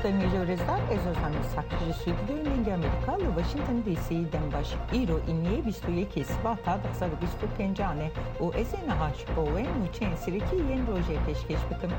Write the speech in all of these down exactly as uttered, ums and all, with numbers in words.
Demê ji rêzdar, ez Ozan Îshak ji Stûdyoyên Dengê Amerîka li Washington D C dem baş. Îro îniyê bîst û yekê Sibata du hezar û bîst û pêncan e û ez ê niha ji bo we nûçeyên serekî yên rojê pêşkêş bikim.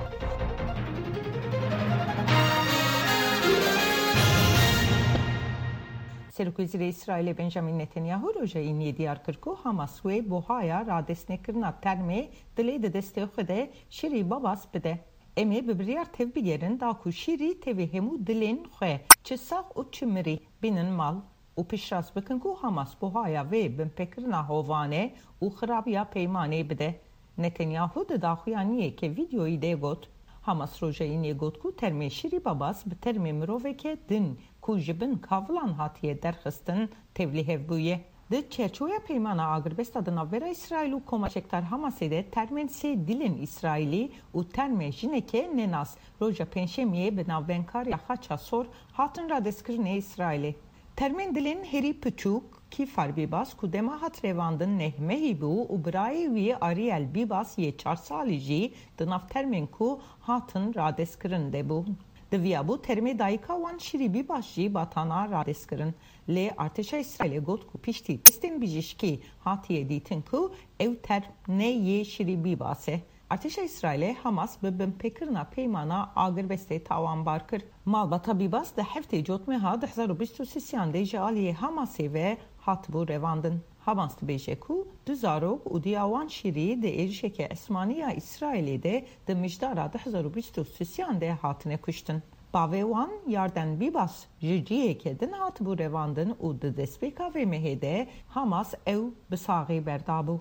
Serokwezîrê Îsraîlê Benjamin Netanyahu roja îniyê diyar kir ku Hamas wê buhaya radestnekirina termê dilê di destê xwe de Şirî Babas bide. Em ê bi biryar tevbigerin da ku Şirî tevî hemû dilên xwe, çi sax û çi mirî, bînin mal û piştrast bikin ku Hamas buhaya vê binpêkirina hovane û xirabiya peymanê bide. Netanyahu di daxuyaniyeke vîdeoyî de got, Hamas roja înê got ku termê Şirî Babas bi termê miroveke din ku ji bin kavilan hatiye derxistin, tevlîhev bûye. Di çerçoveya peymana agirbesta di navbera Îsraîl û Koma Çekdar Hamasê de termên sê dilên Îsraîlî û termê jineke nenas roja Pêncşemiyê bi navbeynkariya Xaça Sor hatin radestkirinê Îsraîlê. Termên dilên herî piçûk, Kîfar Bîbas ku dema hat revandin neh mehî bû û birayê wî Ariel Bîbas yê çar salî jî di nav termên ku hatin radestkirin de bû. Di viya bû termê dayika wan Şirî Bîbas jî batana radestkirin. Lê artêşa Îsraîlê got ku piştî testên bijîşkî hatiye dîtin ku ew term ne yê Şirî Bîbas e. Artêşa Îsraîlê Hamas bi binpêkirina peymana agirbestê tawanbar kir. Malbata Bîbas di heftê Cotmeha du hezar û bîst û sêyan de ji aliyê Hamasê ve hatibû revandin. Hamas dibêje ku du zarok û diya wan Şirî di êrişeke esmanî ya Îsraîlê de di mijdara du hezar û bîst û sêyan de hatine kuştin. Bavê wan Yarden Bîbas ji ciheke din hatibû revandin û di destpêka vê mehê de Hamas ew bi saxî berdabû.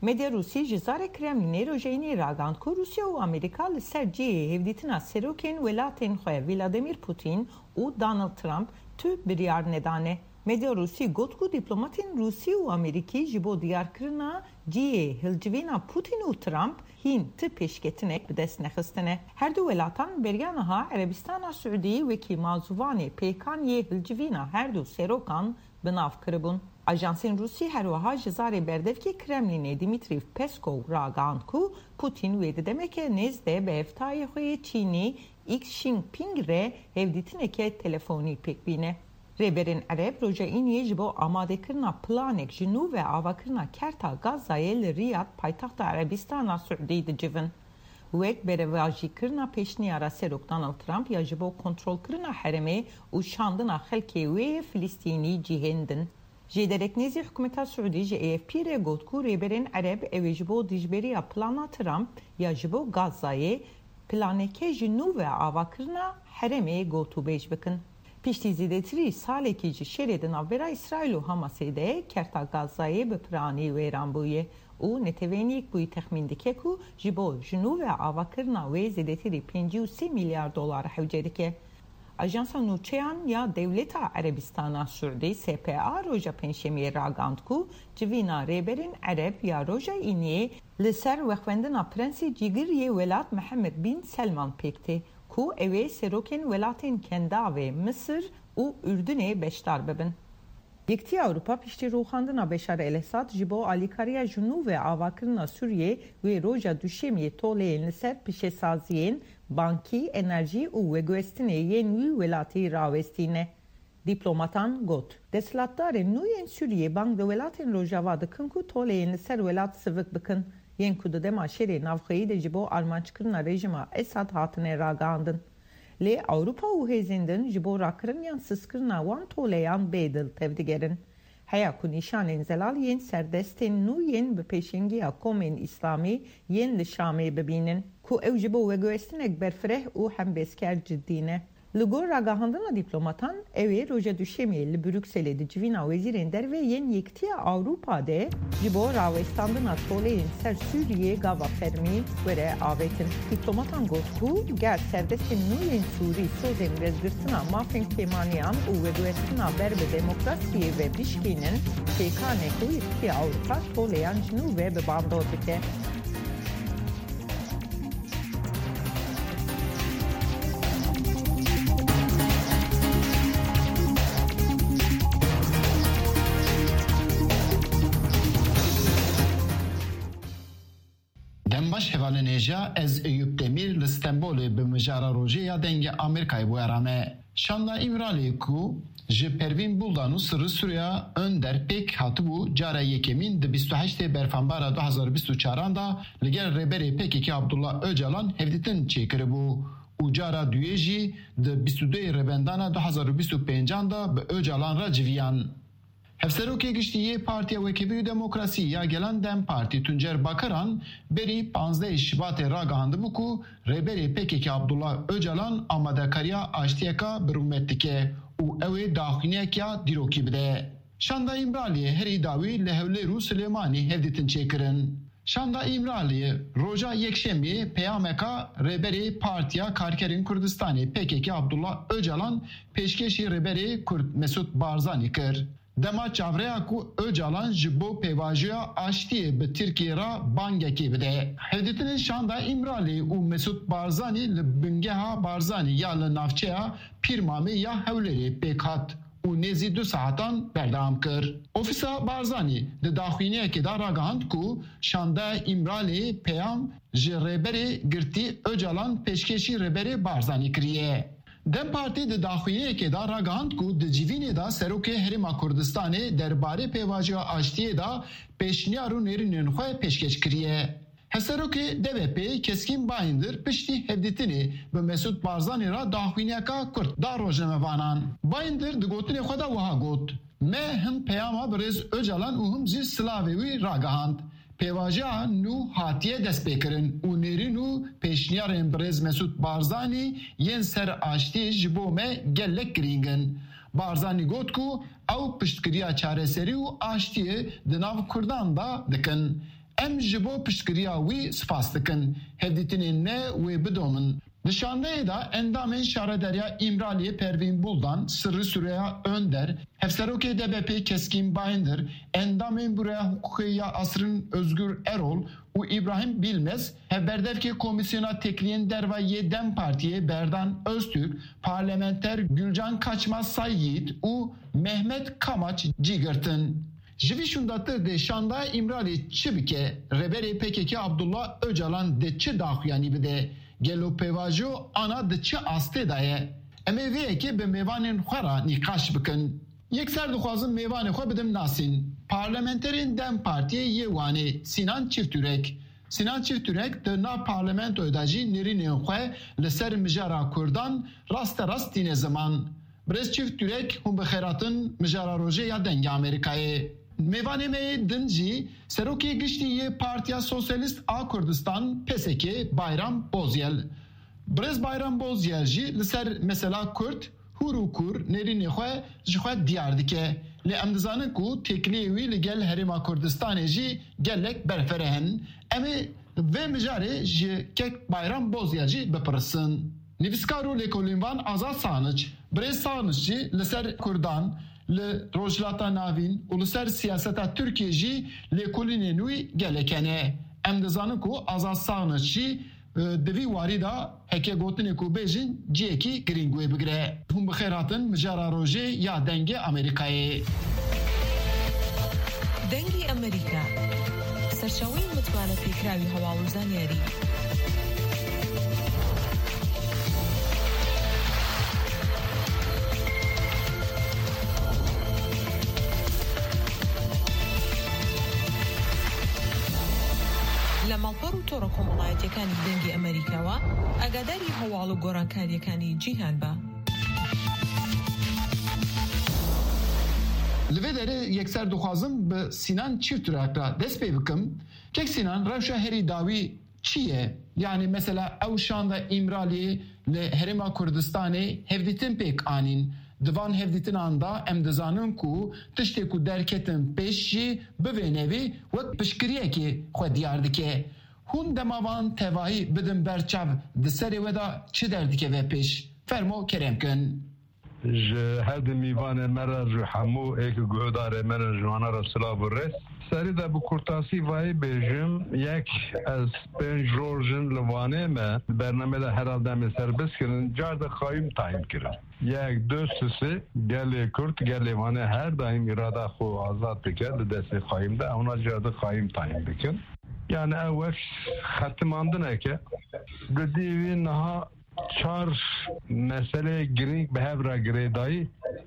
Medya Rûsî ji zarê Kremlînê rojê înê ragihand ku Rûsya û Amerîka li ser cihê hevdîtina serokên welatên xwe Vladimir Putin û Donald Trump tu biryar nedane. Medya Rûsî got ku dîplomatên Rûsî û Amerîkî ji bo diyarkirina cihê hilcivîna Putin û Trump hîn ti pêşketinek bi dest nexistine. Her du welatan beriya niha Erebistana Siûdî wekî mazûvanê pêkan yê hilcivîna her du serokan bi nav kiribûn. Ajansên Rûsî her wiha ji zarê berdevkê Kremlînê Dimitrî Peskov ragihand ku Putin wê di demeke nêz de bi hevtayê xwe yê Çînî Xi Jinping re hevdîtineke telefonî pêk bîne. Rêberên Ereb roja Îniyê ji bo amadekirina planek ji nû ve avakirina kerta Gazayê li Riyad, paytexta Erebistana Siûdî dicivin. Wek berevajîkirina pêşniyara Serok Donald Trump ya ji bo kontrolkirina herêmê û şandina xelkê wê yê Filistînî cihên din. Jêderek nêzî hikûmeta Siûdî ji A F P re got ku rêberên Ereb ew ê ji bo dijberiya plana Trump ya ji bo Gazayê planeke ji nû ve avakirina herêmê gotûbêj bikin. Piştî zêdetirî salekî ji şerê di navbera Îsraîl û Hamasê de kerta Gazayê bi piranî wêran bûye û Neteweyên Yekbûyî texmîn dike ku ji bo ji nû ve avakirina wê zêdetirî pêncî û sê milyar dolar hewce dike. Ajansa Nûçeyan ya Dewleta Erebistana Siûdî, S P A, roja Pêncşemiyê ragihand ku civîna rêberên Ereb ya roja Îniyê li ser wexwendina Prensê Cîgir yê welat Mihemed Bin Selman pêk tê, ku ew ê serokên welatên Kendavê, Misir û Urdunê beşdar bibin. Yekîtiya Ewropa piştî rûxandina Beşar El-Esad ji bo alîkariya ji nû ve avakirina Sûriyê wê roja Duşemiyê toleyên li ser pişesaziyên bankî, enerjî û veguhestinê yên wî welatî rawestîne. Dîplomatan got, desthilatdarên nû yên Sûriyê bang li welatên Rojava dikin ku toleyên li ser welat sivik bikin, yên ku di dema şerê navxweyî de ji bo armanckirina rejîma Esad hatine ragihandin. Lê Ewropa û hêzên din ji bo rakirin yan sistkirina wan toleyan bê dil tevdigerin. Heya ku nîşanên zelal yên serdestên nû yên bi pêşengiya komên îslamî yên li Şamê bibînin, ku ew ji bo veguhestinek berfireh û hembêzker cidî ne. Li gor ragihandina dîplomatan, ew ê roja Duşemê li Brukselê di civîna wezîrên derve yên Yekîtiya Ewropa de ji bo rawestandina toleyên ser Sûriyê gava fermî were avêtin. Dîplomatan got ku ger serdestên nû yên Sûrî sozên rêzgirtina mafên kêmaniyan û veguhestina ber bi demokrasiyê ve bişkînin, pêkan e ku Yekîtiya Ewropa toleyan ji nû ve bi bandor bike. Baş hevalên hêja, ez Eyûp Demîr li Stenbolê bi mijara rojê ya Dengê Amerîkayê bûyera me. Şanda Îmraliyê ku ji Pervîn Buldan û Sirri Süreyya Önder pêk hatibû, cara yekemîn di bîst û heştê Berfanbara du hazar û bîst û çaran de li gel rêberê P K K Abdullah Ocalan hevdîtin çêkiribû û cara duyê jî di bîst û duyê Rêvendana du hazar û bîst û pêncan de bi Ocalan re civiyan. Hevserokê Giştî yê Partiya Wekîfî û Demokrasî ya Gelan DEM Partî Tuncer Bakiran berî panzdehê Şibatê ragihandibû ku rêberê P K K Abdullah Ocalan amadekariya aştiyeka bi rûmet dike û ew ê daxuyaniyeke dîrokî bide. Şanda Îmraliyê herî dawî li Hewlêr û Silêmanî hevdîtin çêkirin. Şanda Îmraliyê roja Yekşemiyê peyameka rêberê Partiya Karkerên Kurdistanê P K K Abdullah Ocalan pêşkêşî rêberê Kurd Mesûd Barzanî kir. Dema çavreya ku Ocalan ji bo pêvajoya aştiyê bi Tirkiyê re bangekê bide. Hevdîtinên Şanda Îmraliyê û Mesûd Barzanî li bingeha Barzanî ya li navçeya Pîrmamê ya Hewlêrê pêk hat û nêzî du saetan berdewam kir. Ofîsa Barzanî di daxuyaniyekê de ragihand ku Şanda Îmraliyê peyam ji rêberê girtî Ocalan pêşkêşî rêberê Barzanî kiriye. DEM Partî di daxuyaniyekê de ragihand ku di civînê de Serokê Herêma Kurdistanê derbarê pêvajoya aştiyê de pêşniyar û nêrînên xwe pêşkêş kiriye. Hevserokê D B P'ê Keskîn Bayindir piştî hevdîtinê bi Mesûd Barzanî re daxuyaniyeka kurt da rojnamevanan. Bayindir di gotinê xwe de wiha got, Me hin peyama birêz Ocalan û him jî silavê wî ragihand. Pêvajoya nû hatiye destpêkirin û nêrîn û pêşniyarên birêz Mesûd Barzanî yên ser aştiyê ji bo me gelek girîng in. Barzanî got ku ew piştgiriya çareserî û aştiyê di nav Kurdan de dikin. Em ji bo piştgiriya wî spas dikin. Hevdîtinên me wê bidomin. Di şandeyê de endamên şaredariya Îmraliyê Pervîn Buldan, Sirri Süreyya Önder, Hevserokê D B P'ê Keskîn Bayindir, endamên Bureya Hiqûqê ya Asrîn Ozgur Erol û Îbrahîm Bilmez, hevberdevkê Komîsyona Tekliyên Derve yê DEM Partiyê Berdan Öztürk, parlamenter Gülcan Kaçmaz Sayyiğit û Mehmet Kamaç cî girtin. Ji vî şûndatir dê şanda Îmraliyê çi bike? Rêberê P K K Abdullah Ocalan dê çi daxuyanî bide? Gelo pêvajo ana di çi astê de ye? Em ê vê yekê bi mêvanên xwe re nîqaş bikin. Yekser dixwazim mêvanê xwe bidim nasîn. Parlamenterên DEM Partiyê yê Wanê Sinan Çifturek. Sinan Çifturek di nav parlamentoyê de jî nêrînên xwe li ser mijara Kurdan rasterast tîne ziman. Birêz Çifturek, hûn bi xêr hatin mijara rojê ya Dengê Amerîkayê. Mêvanê me yê din jî Serokê Giştî yê Partiya Sosyalîst a Kurdistan, P S K, Bayram Bozyel. Birêz Bayram Bozyel jî li ser mesela Kurd hûr û kûr nêrînê xwe ji xwe diyar dike. Lê em dizanin ku têkiliyê wî li gel Herêma Kurdistanê jî gelek berfireh in. Em ê vê mijarê ji kek Bayram Bozyel jî bipirsin. Nivîskar û lêkolînvan Azad Sanic. Birêz Sanic jî li ser Kurdan, li Rojhilata Navîn û li ser siyaseta Tirkiyê jî lêkolînên wî gelek hene. Em dizanin ku Azad Sanic jî, e, di vî warî de heke gotinê ku bêjin cihekî girîng wê bigire. Hûn bi xêr hatin mijara rojê ya Dengê Amerîkayê. دەنگی ئەمریکا، سەرچاوەی متمانە پێکراوی هەواڵ و زانیاری. لە ماڵپەڕ و تۆڕە کۆمەڵایەتیەکانی دەنگی ئەمریکاوە ئاگاداری هەواڵ و گۆڕانکاریەکانی جیهان بە. Li vê derê yekser dixwazim bi Sinan Çifturak re dest pê bikim. Kek Sinan, rewşa herî dawî çi ye? Yanî mesela ew şanda Îmraliyê li Herêma Kurdistanê hevdîtin pêk anîn. Di van hevdîtinan de em dizanin ku tiştê ku derketin pêş jî bi vê nevî wek piştgiriyekê xwe diyar dike. Hûn dema van tevahî bidin ber çav, di serê we de çi derdikeve pêş? Fermo kerem kin. Ji her di mîvanê me re, ji hemû êk guhdarê me re, ji wana re silav û rêz. Serî de bi kurtasî vayî bêjim, yek, ez pênc roj in li Wanê me, bernamê de herhalde em ê serbest kirin, car de qayûm tayîn kirin. Yek, du, sisê, gelê Kurd, gelê Wanê her daîm îrada xwe azad dike, li destê qayûm de, ewna car de qayûm tayîn bikin. Yani ew wek xetimandineke. Di dî wî niha çar meseleyê girîng bi hev re girêdayî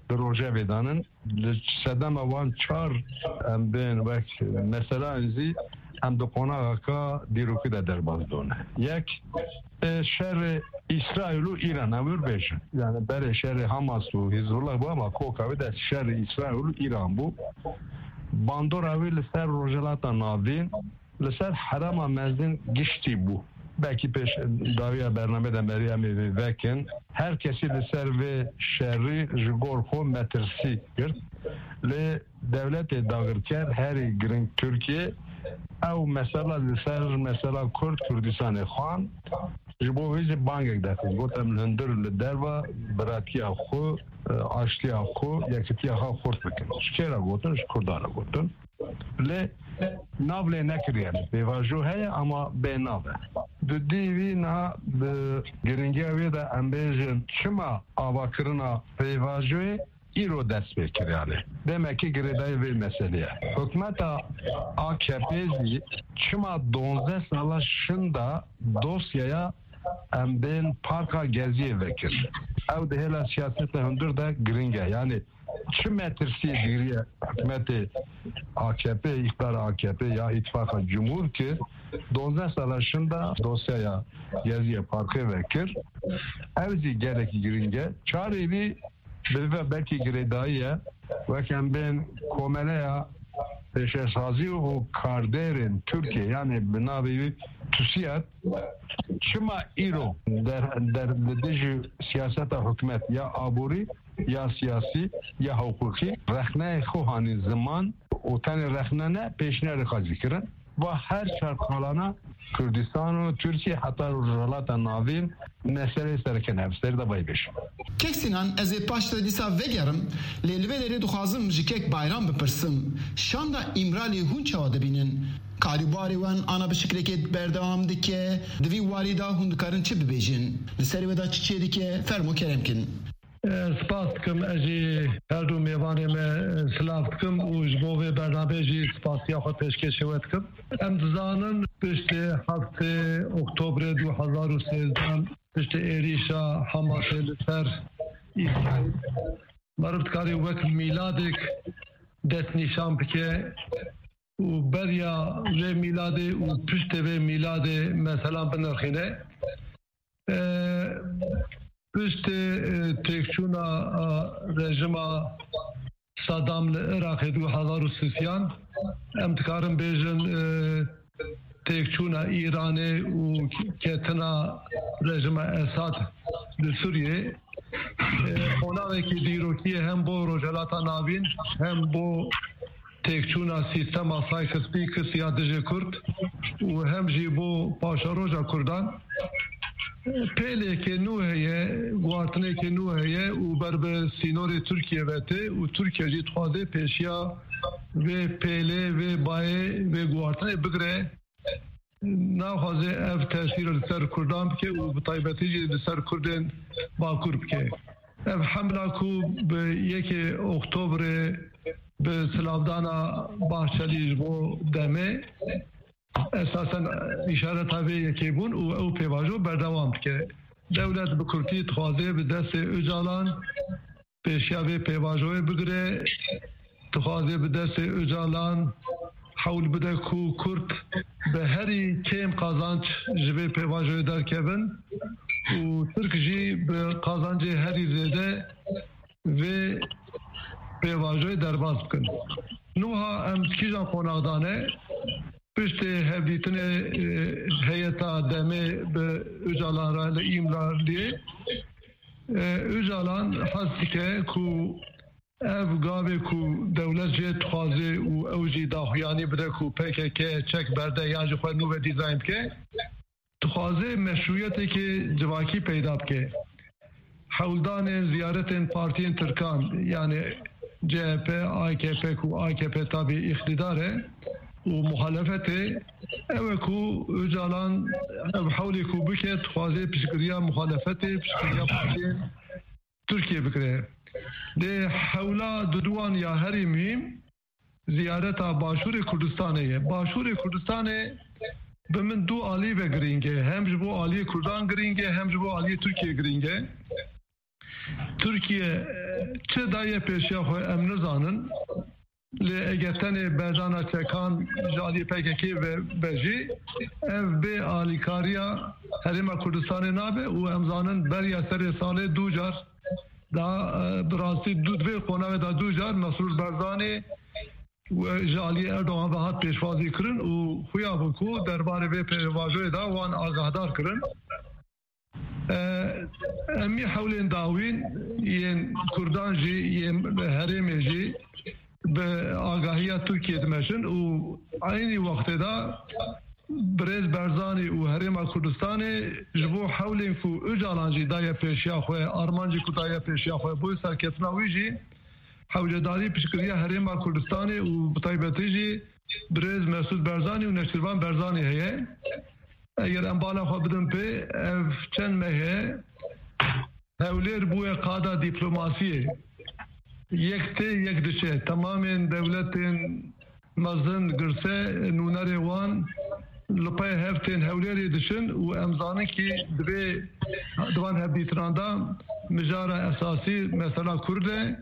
di rojevê de nin. Li sedema wan çar em bên wek meseleyan zî em di qonaxeka dîrokî de derbas done. Yek, e, şerê Îsraîl û Îran, em wir bêjin. Yani berê şerê Hamas û Hizbullah bû, ama koka wê de şerê Îsraîl û Îran bû. Bandora wê li ser Rojhilata Navîn, li ser herêma mezin giştî bû. Belkî pêş dawiya bernamê de merî em ê vê vekin. Her kesî li ser vê şerî ji gor xwe metirsî girt. Lê dewletê dagirker herî giring Tirkiye ew mesela li ser mesela Kurd Kurdistanê xwend. Ji bo vê jî bangek derxist. Got, em li hundir li derva biratiya xwe, e, aştiya xwe, yekitiya xwe xurt bikin. Ji kê re gotin? Ji Kurdan re gotin. Lê nav lê nekiriye. Pêvajo heye ama bê nav e. Di dî wî niha bi giringiya wê de em bêjin çima avakirina pêvajoyê îro dest pê kiriye. Demekî girêdayî vê meselê ye. Hikûmeta A K P zî çima duwazdeh sala şinda dosyaya em bên parka Geziyê vekir? Ew di hêla siyaseta hundir de giring e. Yani çi metirsiyê dîriye hikûmetê A K P, îqdara A K P ya îtifaqa cumhur ki duwazdeh sala şinda dosyaya Geziyê parkê vekir. Ew zî gelekî giring e. Çarê wî bi ve belkî girêdayî ye. Wek em bên komeleya pêşesazî û kardêrên Tirkiye, yani bi navê wî TÜSİAD, çima îro der, der, li dijî siyaseta hikûmet ya aborî, ya siyasî, ya hiqûqî rexneyê xwe hanî ziman û tenê rexne ne, pêşniyarê xwe zî kirin. Va her çar qalana Kurdistan û Tirkiye heta Rojhilata Navîn meseleyê sereke ne. Em ser de vay bêjin. Kek Sinan, ez ê paştre dîsa vegerim, lê li vê derê dixwazim ji kek Bayram bipirsim. Şanda Îmralî hûn çawa dibînin? Karîbarê wan ana bi şiklekê berdewam dike, di vî warî de hûn dikarin çi bibêjin? Li ser wê de çi çêdike? Fermo kerem kin. Spas dikim, ez jî her du mêvanê me silav dikim û ji bo vê bernameyê jî spasiya xwe pêşkêşê we dikim. Em dizanin piştê heftê Oktobrê du hezar û sêzdeh, piştê êrîşa Hamasê li ser Îsraîl, meriv dikarî wek mîladek destnîşan bike û beriya vê mîladê û piştê vê mîladê meselan binirxîne. E, piştê, e, têkçûna, e, rejima Saddam li Iraqê du hezar û sisiyan, em dikarin bêjin, e, têkçûna Îranê û ketina rejima Esad li Sûriyê, e, qonaxekî dîrokî ye hem bo Rojhilata Navîn, hem bo têkçûna sîstema Sykes-Picot ya dijî Kurd û hem jî bo paşeroja Kurdan. Pêleke nû heye, guhartineke nû heye û ber bi sînorê Tirkiye ve tê û Tirkiye jî dixwaze pêşiya vê pêlê, vê bayê, vê guhartinê bigire. Naxwaze ev tesîr li ser Kurdan bike û bi taybetî jî li ser Kurdên Bakur bike. Ev hemla ku bi yekê Oktobrê bi silavdana Bahçelî ji bo demê, esasen îşareta vê yekê bûn û ew pêvajo berdewam dike. Dewlet bi kurtî dixwaze bi destê Ocalan pêşiya vê pêvajoyê bigire, dixwaze bi destê Ocalan hewl bide ku Kurd bi herî kêm qazanc ji vê pêvajoyê derkevin û Tirk jî bi qazancê herî zêde vê pêvajoyê derbas bikin. Nuha em di kîjan qonax de ne? Piştê hevdîtinê, e, heyeta demê bi Ocalan re li Îmraliyê, e, Ocalan hez dike ku ev gavê ku dewlet jê dixwaze û ew jî daxuyanî bide ku P K K çek berde yan jî xwe nû ve dîzayn bike, dixwaze meşrûyeteke civakî peyda bike. Hewldanên ziyaretên partiyên Tirkan, yani C H P, A K P ku A K P tabî îqtîdar e û muhalefetê, ew e ku Ocalan ev hewlê ku bike, dixwaze piştgiriya muhalefetê, piştgiriya partiyên Tirkiye bikire. Lê hewla duduwan ya herî muhîm, ziyareta Başûrê Kurdistanê ye. Başûrê Kurdistanê bi min du alî ve girîng e. Hem ji bo aliyê Kurdan girîng e, hem ji bo aliyê Tirkiyê girîng e. Tirkiye, e, çi daye pêşiya xwe em nizanin. Lê eger tenê berdana çekan ji aliyê P K K ve be jî, ev bê alîkariya Herêma Kurdistanê nabe û em zanin beriya serê salê du car da, e, bi rastî du, di vê qonaxê de du car Mesrûr Barzanî û ji aliyê Erdogan ve hat pêşwazî kirin û xuya bû ku derbarê vê pêvajoyê de wan agahdar kirin. E, em ê hewlên dawîn yên Kurdan jî, yên herêmê jî bi agahiya Tirkiyê dimeşin û eynî wextê de birêz Barzanî û Herêma Kurdistanê ji bo hewlên ku Ocalan jî daye pêşiya xwe, armancî ku daye pêşiya xwe, bo serketina wî jî hewcedarî piştgiriya Herêma Kurdistanê û bi taybetî jî birêz Mesûd Barzanî û Neçîrvan Barzanî heye. Eger em bala xwe bidin pê, ev çend meh e Hewlêr bûye qada dîplomasiyê. Yek tê, yek diçe. Temamên dewletên mezin, girse, nûnerê wan li pey hev tên Hewlêrê diçin û em zanin kî divê di van hevdîtinan de mijara esasî mesela Kurd e,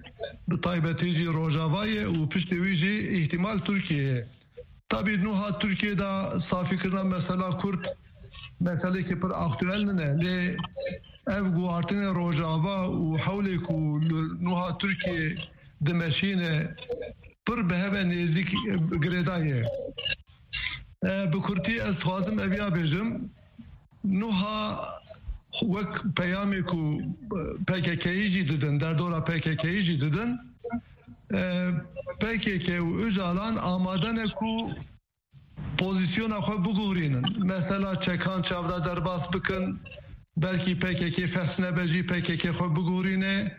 bi taybetî jî Rojava ye û piştî wî jî îhtimal Tirkiye ye. Tabî nuha Tirkiye de safîkirina mesela Kurd meselekî pir aktuel nine. Lê ev guhartinê Rojava û hewlê ku li nuha Tirkiye dimeşîne pir bi hev e nêzîk, e, girêdayî ye. E, bi kurtî ez dixwazim ev ya bêjim. Nuha wek peyamê ku P K K'yî jî didin, derdora P K K'yî jî didin, e, P K K û Ocalan amade ne ku pozîsyona xwe biguhurînin. Mesela çekan çavda derbas bikin, belkî P K K fes nebe jî P K K xwe biguhurîne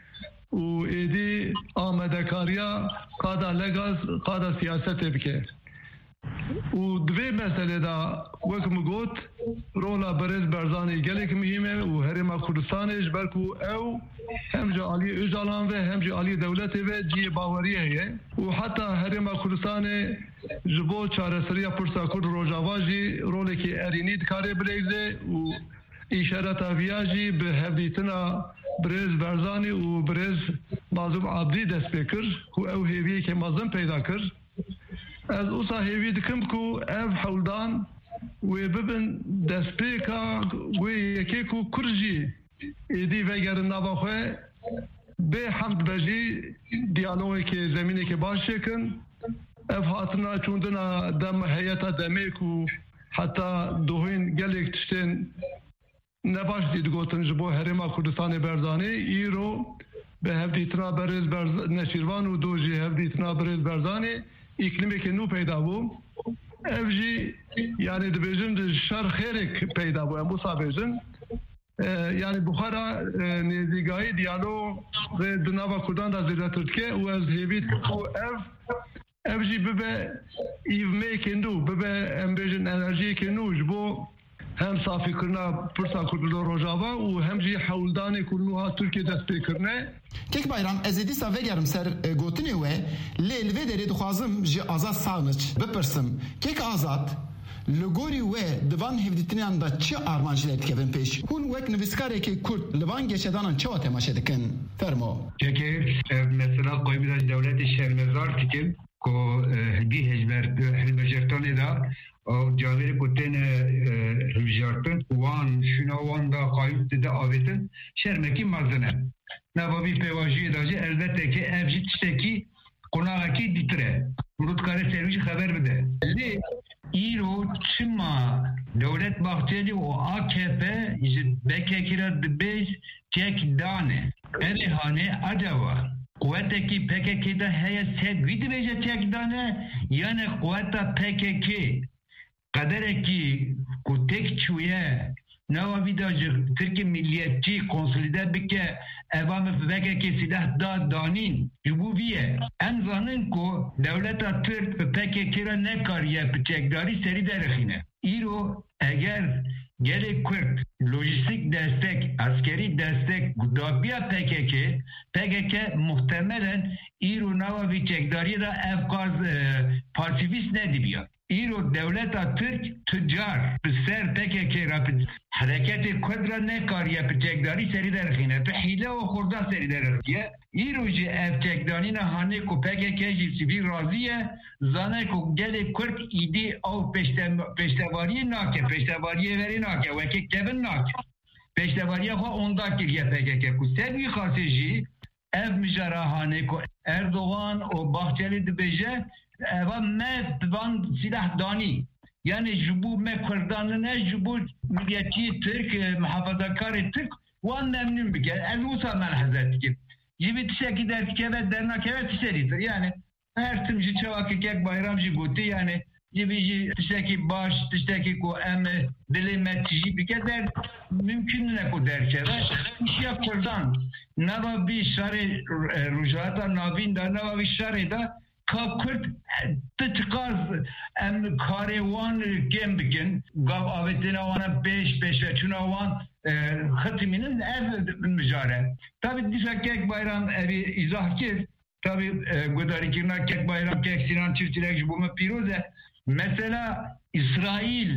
û êdî amadekariya qada legal, qada siyasetê bike. Û di vê meselê de, wek min got, rola birêz Barzanî gelek muhîm e û Herêma Kurdistanê ji ber ku ew hem ji aliyê Ocalan ve hem ji aliyê dewletê ve cihê baweriyê heye û heta Herêma Kurdistanê ji bo çareseriya pirsa Kurd Rojava jî rolekî erênî dikare bileyze û îşareta viya jî bi hevdîtina birêz Barzanî û birêz Mazlûm Abdî dest pê kir ku ew hêviyeke mezin peyda kir. Ez wisa hêvî dikim ku ev hewldan wê bibin destpêka wê yekê ku Kurd jî êdî vegerin nava xwe, bê hemd be jî diyalogekê, zemînekê baş çêkin. Ev hatina çûndina dem heyeta demê ku heta dohîn gelek tiştên ne baş jî digotin ji bo Herêma Kurdistanê Berzanî, îro bi hevdîtina berêz Berz-, Neçîrvan û do jî hevdîtina birêz Berzanî îklîmeke nû peyda bû. Ev jî, yanî dibêjin, şer xêrek peyda bû, em wisa bêjin. E, yanî bi xwe re, e, nêzîkayî diyalogê di nava Kurdan de zêdetir dike û ez hêvî dikim ku ev Ev jî bibe îvmeyekê nû, bibe, em bêjin, enerjiyekê nû ji bo hem safîkirina pirsa Kurd li Rojava û hem jî hewldanê ku niha Tirkiye dest pê kirine. Kek Bayram, ez ê dîsa vegerim ser, e, gotinê we, lê li vê derê dixwazim ji Azad Sağniç bipirsim. Kek Azad, li gorî we di van hevdîtiniyan de çi armancî derdikevin pêş? Hûn wek nivîskarekî Kurd li van geşedanan çawa temaşe dikin? Fermo. Kekê, ev mesela qoyî bira ji dewletê şermezar dikin. Ku, e, hingî hejber-, hilbijartinê de, e, cavêrê ku têne, e, hilbijartin, wan, şûna wan de qayût dide avêtin, şermekî mezin e. Nava vî pêvajoyê de jî elbeteke ev jî tiştekî qonaxekî dîtir e. Mirov dikare ser wî jî xeber bide. Lê îro çima Dewlet Bahçelî û A K P ji P K K re dibêj çek dane? Erê hanê, acaba quwetekî P K K de heye ser wî dibêje çek dane, yanî quweta P K K qederekî ku têk çûye, nava vî de ji Tirkê milliyetçî konsolîde bike, eva min P K K sîleh da danîn, ji bo vî ye. Em zanin ku dewleta Tirk bi P K K re nekariye piçekdarî serî derixîne. Îro eger Gelê Kurd lojîstîk destek, eskerî destek dabiya P K K, P K K muhtemelen îro nava vî çekdariyê de ev qaz, e, pasîvîst nedibiya. Îro dewleta Tirk tu car bi ser P K K re, bi hereketê Kurd re nekariye bi çekdarî serî derxîne, bi hîle û xurda serî derxiye. Îro jî ev çekdanîna hanê ku P K K jî sivî razî ye, zane ku gelê Kurd îdî ew pêşte-, pêştevariyê nake, pêştevariyê verê nake, weke kevin nake. Pêştevariya xwe onda kiriye P K K ku ser wî xasê jî ev mijara hanê ku Erdogan û Bahçelî dibêje, eva me van sîlah danî. Yani ji bo me Kurdan ne, ji bo milletçiyê Tirk, e, muhafazakarê Tirk wan memnun bike. Ez wisa melheze dikim. Ji vî tiştekî derdikeve, dernakeve tiştekî dir. Yani her tim ji çawa ki Kek Bayram jî gotî, yani ji vî jî tiştekî baş, tiştekî ku em dilê me tijî bike der, mümkün ne ku derkeve. Îşiya Kurdan nava vî şerê, e, Rojhilata Navîn de, nava vî şerê de ka Kurd, e, ti çiqas em karê wan kêm bikin, gav avêtina wan pêş, pêşveçûna wan, e, xitimînin, ev mijare. Tabi dîsa Kek Bayram evî îzah kir, tabi, e, guhdarîkirina Kek Bayram, Kek Sinan çiftçilek ji bo me pîroz e. Mesela Îsraîl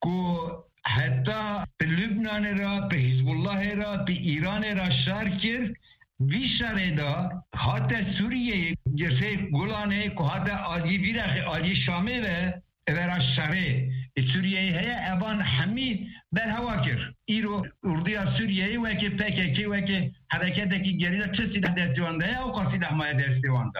ku heta bi Lubnanê re, bi Hizbullahê re, bi Îranê re şer kir, vî şerê de hate Sûriyeyê, girsê Gulanê ku hate aliyê vî rexê, aliyê Şamê ve, evera şerê, e, Sûriyeyê heye, evan hemî berhewa kir. Îro orduya Sûriyeyê weke P K K, weke hereketekî gerîla çi sîleh destê wan de ye, ew qas sîleh maye destê wan de.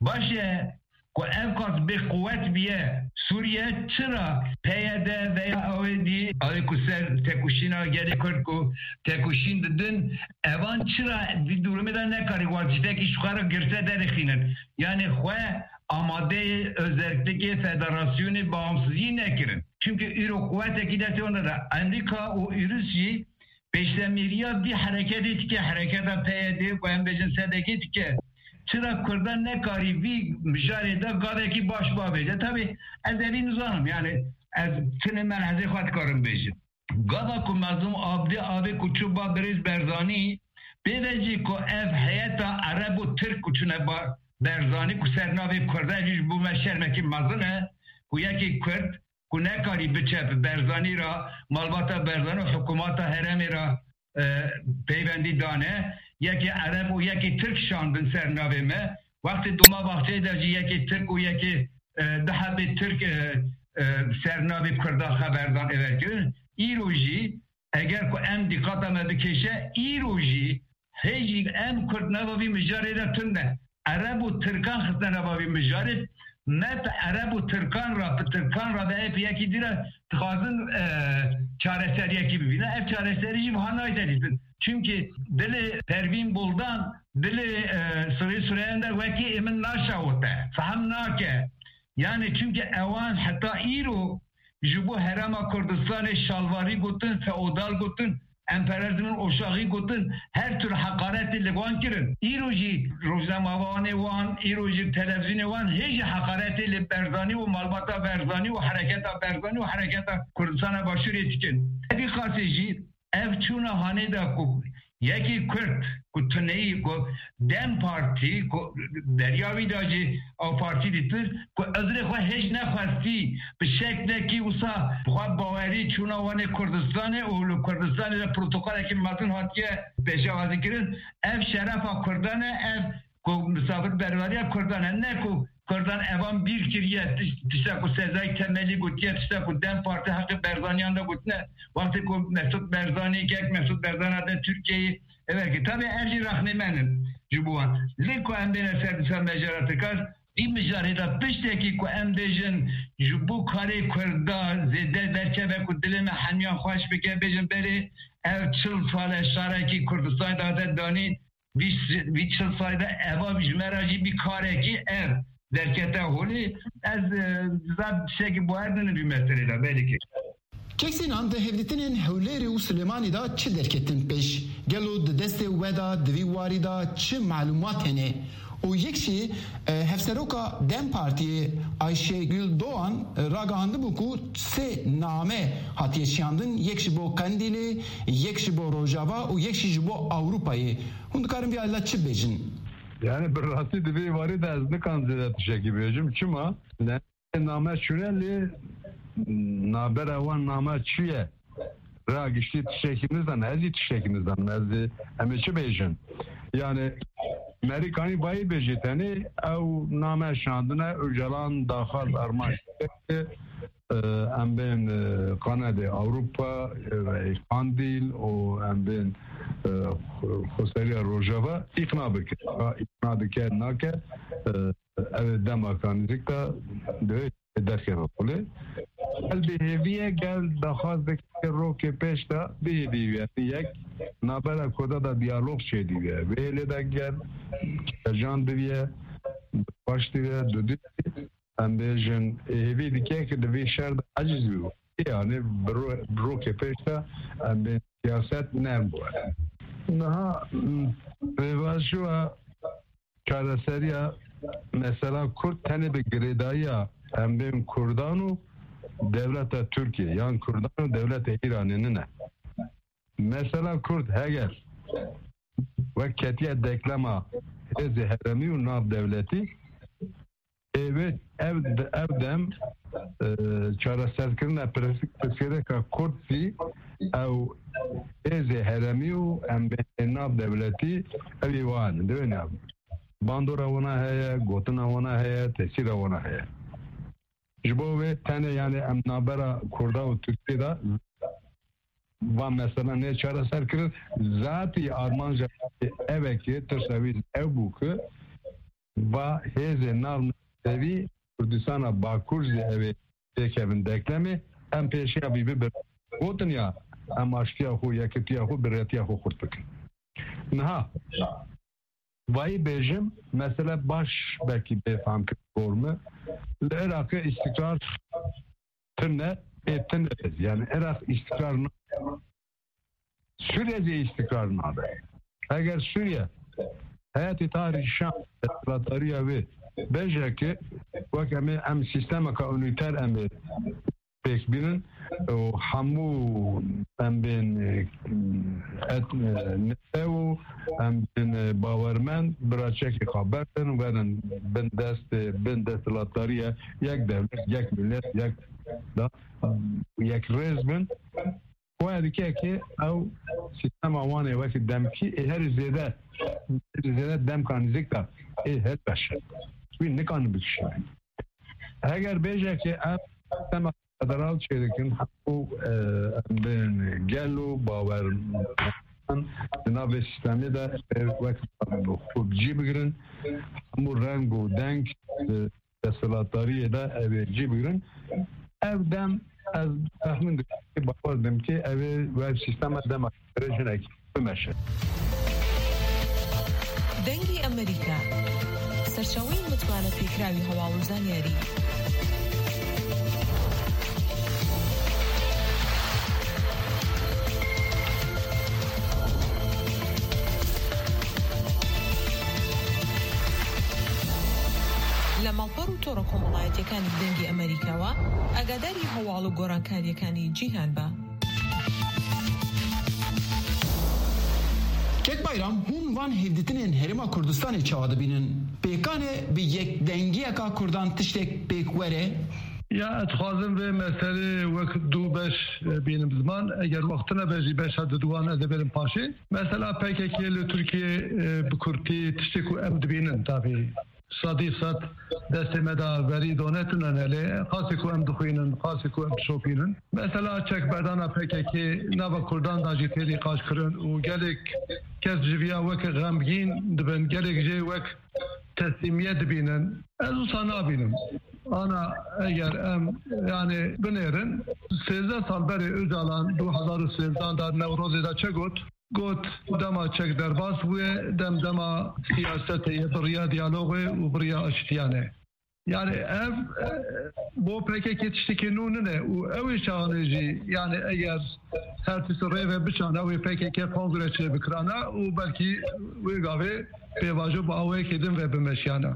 Baş e, ku ev qas bê quwet biye, Sûriye çira P Y D veya ew ê dî, ew ê ku ser têkoşîna gelê Kurd ku têkoşîn didin, evan çira di durumê de nekarî wezîfekî ji xwe re girse derêxînin? Yani xwe amadeyê özellikle federasyonê bağımsızî nekirin. Çünkü îro quwetekî destê wan de, Amerîka û Ûrus jî pêşdemîriya vî hereketê dike, hereketa P Y D ku em bêjin sedekê dike. Çira Kurdan nekarî vî mijarê de gavekî baş bavêje? Tabi ez evî nizanim, yani ez tinê melhezê xwe dikarim bêjim. Gava ku Mezlûm Abdî avê ku çû ba birêz Berzanî, pê ve jî ku ev heyeta Ereb û Tirk ku çûne ba Berzanî ku ser navê Kurda, jî ji bo me şermekî mezin e ku yekî Kurd ku nekarî biçe bi Berzanî re, malbata Berzanî û hikûmata herêmê re, e, peywendî dane, yekê Ereb û yekê Tirk şandin ser navê me. Wextê Dolmabahçeyê de jî yekê Tirk û yekê, e, du hebê Tirk, e, e, ser navê Kurda xeberdan êver kirin. Îro jî eger ku em dîqata me bikêşe, îro jî hê jî em Kurd nava vî mijarê de tune. Ereb û Tirkan xistine nava vî mijarê. Me bi Ereb û Tirkan re, bi Tirkan re ve ê yekî dî re dixwazin, e, çareseriyekî bibîne. Ev çareserî jî wiha nayê dîtin. Çimkî dilê Pervîn Buldan, dilê, e, Sirê Sirêyan de wekî ê min naşewite, fehm nake. Yani çimkî ewan heta îro ji bo Herêma Kurdistanê şalvarî gotin, feodal gotin, emperyalizmin oşaxî gotin, her tür heqaretê li wan kirin. Îro jî rojnamevanê wan, îro jî televîzyonê wan hê jî heqaretê li Berzanî û malbata Berzanî û hereketa Berzanî û hereketa Kurdistana Başûrê dikin. Vî qasê jî ev çûna hanê de ku yekî Kurd ku tuneyî ku DEM Partî ku derya wî de jî ew partî dîtir ku ezrê xwe hêj nexwestî bi şeklekî wisa bi xwe bawerî çûna wanê Kurdistanê û li Kurdistanê de protokolekî mezin hatiye pêşewazî kirin. Ev şerefa Kurdan e, ev ku misafirberveriya Kurdan e, ne ku Kurdan evan bîr kiriye, tiş-, tişta ku Sezai Temelî gotiye, tişta ku DEM Partî heqê Berzaniyan de gotine, wextê ku Mesut Berzanî, kek Mesut Berzan hate Tirkiyeyê, evet ki tabi ev jî rexnê me ne ji bo wan. Lê ku em bêne ser dîsa mejara Tirkan, vî mijarê de piştekî ku em bêjin ji bo karê Kurda zêde derkeve ku dilê me hemiyan xweş bike, bêjin berê ev çil sal e şarekî Kurdistanê de hate danîn, vî, vî çil salî de eva ji me re jî bî karekî ev derkete holê. Ez, e, zaf tiştekî bawer dinim vî meselê de, belê ki. Kek Sînan, di hevdîtinên Hewlêrê û Silêmanî de çi derketin pêş? Gelo di destê we de, di vî warî de çi malûmat hene? û yek jî, e, hevseroka DEM Partiyê Ayşegül Doğan, e, ragihandibû ku sê name hatiye şiyandin, yek ji bo Qendîlê, yek ji bo Rojava û yek jî ji bo Ewropayê. Hûn dikarin vî alî de çi bêjin? Yani bi rastî di vê warî de ez nikan zêde tiştekî bêjim. Çima? Ne, name çûne lê nabera wan name çi ye? Ra giştî tiştekî nizanim, ez jî tiştekî nizanim. Ez ê, em ê çi bêjin? Yani Merîkanî bayî bêjî tenê ew name şandine Ocalan daxwaz armanc e, em bên, e, Kanadê Ewropa, e, Qandîl û em bên, e, Xweseriya Rojava îqna bike. Ha, îqna dike, nake, e, ev ê dema kanîzîk de divê derkeve xulê. Gel bi hêvî ye, gel daxwaz dike rokê pêş de bihêvî ye. Yek nabera Kurda de diyalog çêdî ye. Vê hêlê de gel kecan diviye, baş diviye, dudî. Em bêjin, hêvî dike ki di vê şer de eciz bî. Yani bi ro-, bi rokê pêş de em bê siyaset nem bû. Niha, m, pêvajoya çareseriya mesela Kurd tenê bi girêdayiya em bên Kurdan û dewleta Tirkiye yan Kurdan û dewleta Îranê nine. Mesela Kurd heger wek ketiye deklema hêzê heremî û nav dewletî, ê wê ev, ev dem, e, çareserkirina pirs-, pirsgirêka Kurd jî ew hêzê heremî û em bên nav dewletî ew ê wan, divê ne bandora wana heye, gotina wana heye, tesîra wana heye. Ji bo wê tenê, yani em nabera Kurda û Tirkiyê de va mesela nê çareser kirin. Zatî armanja ev e ki tirsa wî ev bû ki va hêzê nav navdewî Kurdistana Bakur jî ew ê têkevin deklemê, em pêşiya vî bibin. Gotin ya em aştiya xwe, yekitiya xwe, birêtiya xwe xurt bikin. Niha vayî bêjim, mesele baş belkî bê fam kir gor me. Li Iraqê îstikrar tune, ê tune. Yani Iraq îstikrar na-, Sûriye jî îstikrar nabe. Eger Sûriye heyetê tarî Şam desthilatdariya wê bêje ki wek em ê, em sîstemeka unîter em ê pêk bînin û hemû em bên, e, et-, e, netew û em bên, e, bawermend bira çekê xwe berdin, werin bin dest, e, bin desthilatdariye yek dewlet, yek millet, yek da, yek rêz bin. Xwe dike ki ew sîstema wan ê wekî demkî ê herî zêde, herî zêde demka nîzîk de ê hilbeşin. Wî nikarin bikişînin. Heger bêje ki em sîstema federal çêdikin, hemû, e, em bên gel û bawer di nav vê sîstemê de wek xwe bi cî bigirin, hemû reng û deng, e, desthilatdariyê de ew ê cî bigirin. Ev dem ez texmîn dikim, bawer dikim ki ew ê wek sîstema dema jinekî bimeşe. Dengê Amerîka, serçaweyên mutmane pêkراوی هەواڵ و زانیاری. لە ماڵپەڕ و تۆڕە کۆمەڵایەتیەکانی دەنگی ئەمریکاوە ئاگاداری هەواڵ و گۆڕانکاریەکانی جیهان بە. Kek Bayram, hûn van hevdîtinên Herêma Kurdistanê çawa dibînin? Pêkan e bi yekdengiyeka Kurdan tiştek pêk were? Ya, ez dixwazim vê meselê wek du beş, e, bînim ziman. Eger wext tune be jî beşa diduwan ez ê bêrim paşê. Mesela P K K li Tirkiyê, e, bi kurtî tiştê ku em dibînin, tabî sedî sed destê me de verî donetûne, lê qasê ku em dixwînin, qasê ku em dişopînin. Mesela çekberdana P K K nava Kurdan de jî tê nîqaş kirin û gelek kes ji viya wek xemgîn dibin, gelek jê wek teslîmiyet dibînin. Ez wisa nabînim. Ana eger em, yani, binêrin, sêzdeh sal berê Ocalan du hezar û sêzdeh de Newrozê de çi got? Got, dema çek derbas bûye, dem dema siyasetê ye, bi riya diyalogê û bi riya aştiyan e. Yani ev e, bo P K K tiştekî nû nine û ew ê çaxanê jî yani eger her tişt rê ve biçan ew ê P K K kongre çê bikirana û belkî wê gavê pêvajo bi awayekê din ve bimeşiyana.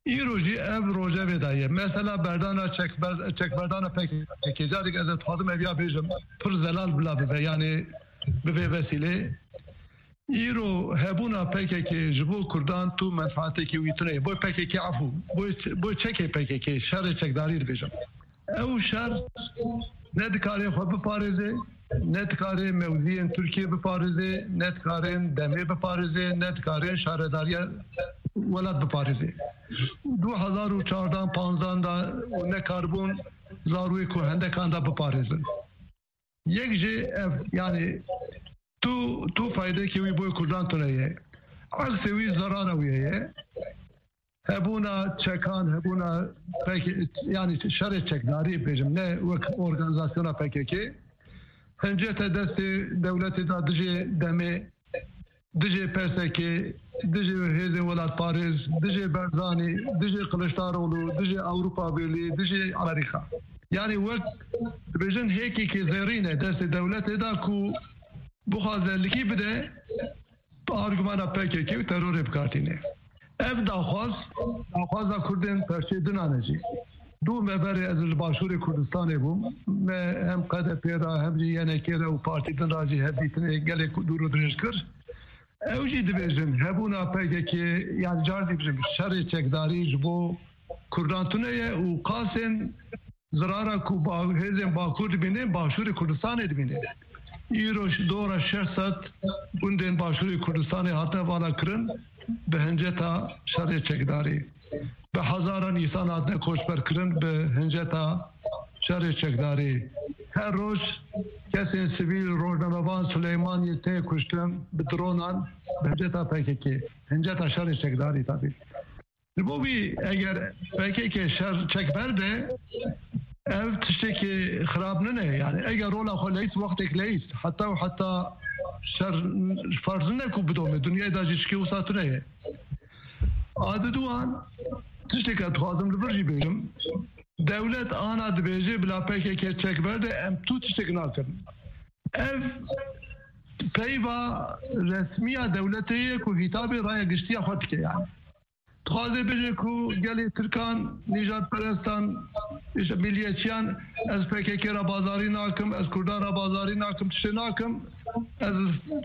Îro jî ev rojevê de ye. Mesela berdana çekber-, çekberdana P K K. Carek ez dixwazim ev ya bêjim. Pir zelal bila bibe. Yani bi vê vesîlê. Îro hebûna P K K ji bo Kurdan tu menfaatekî wî tune ye. Bo P K K efû. Bo, bo çekê P K K. Şerê çekdarî dibêjim. Ew şer ne dikare xwe biparêze, ne dikare mewziyên Tirkiyê biparêze, ne dikarên demê biparêze, ne dikarên şaredariya welat biparêze. Du hezar û çardan panzdan da û nekaribûn zarûyê ku hendekan da biparêzin. Yek jî ev, yani tu, tu faydekê wî boy Kurdan tune ye. Aksê wî zarara wî ye. Hebûna çekan, hebûna pek, yani şerê çekdarî bêjim, ne wek organîzasyona P K K. Hincete destê dewletê da dijê demê, dijê P S K, dijê hêzên welatparêz, dijê Barzanî, dijê Kiliçdaroglu, dijê Ewropa Birlîği, dijê Amerîka. Yani wek dibêjin hêkekê zêrîn e destê dewletê da ku bixwaze likî bide, bi argumana P K K û terorê bikartîne. Ev daxwaz, daxwaza Kurdên perçê dinan e jî. Du me berê ez li Başûrê Kurdistanê bûm. Me hem K D P ra, hem jî Y N K ra û partî din ra jî hevdîtinê gelek dûr û dirêj kir. Ew jî dibêjin, hebûna P K K, yani car jî bijim, şerê çekdarî ji bo Kurdan tune ye û qasên zirara ku ba-, hêzên Bakur dibînin, Başûrê Kurdistanê dibînin. Îro ş-, dora şeş sed gundên Başûrê Kurdistanê hatine vala kirin bi hinceta şerê çekdarî. Bi hezaran însan hatine koçber kirin bi hinceta şerê çekdarî. Her roj kesên sivîl, rojnamevan, Silêmaniyê tê kuştin bi dronan bi hinceta P K K, hinceta şerê çekdarî tabî. Ji bo wî eger P K K şer çek berde, ev tiştekî xirab nine. Yani eger rola xwe leyîst, wextek leyîst. Heta û heta şer ferz nine ku bidome. Dinyayê da jî tişkî wisa tune ye. A diduan, tişteke dixwazim li vir jî bêjim. Dewlet ana dibêje bila P K K çek berde, em tu tiştek nakin. Ev peyva resmiya dewletê ye ku hitabê raya giştiya xwe dike yani. Dixwaze bêje ku gelê Tirkan, nîjadperestan, îşte milliyetçiyan, ez P K K ra bazarî nakim, ez Kurdan ra bazarî nakim, tiştê nakim, ez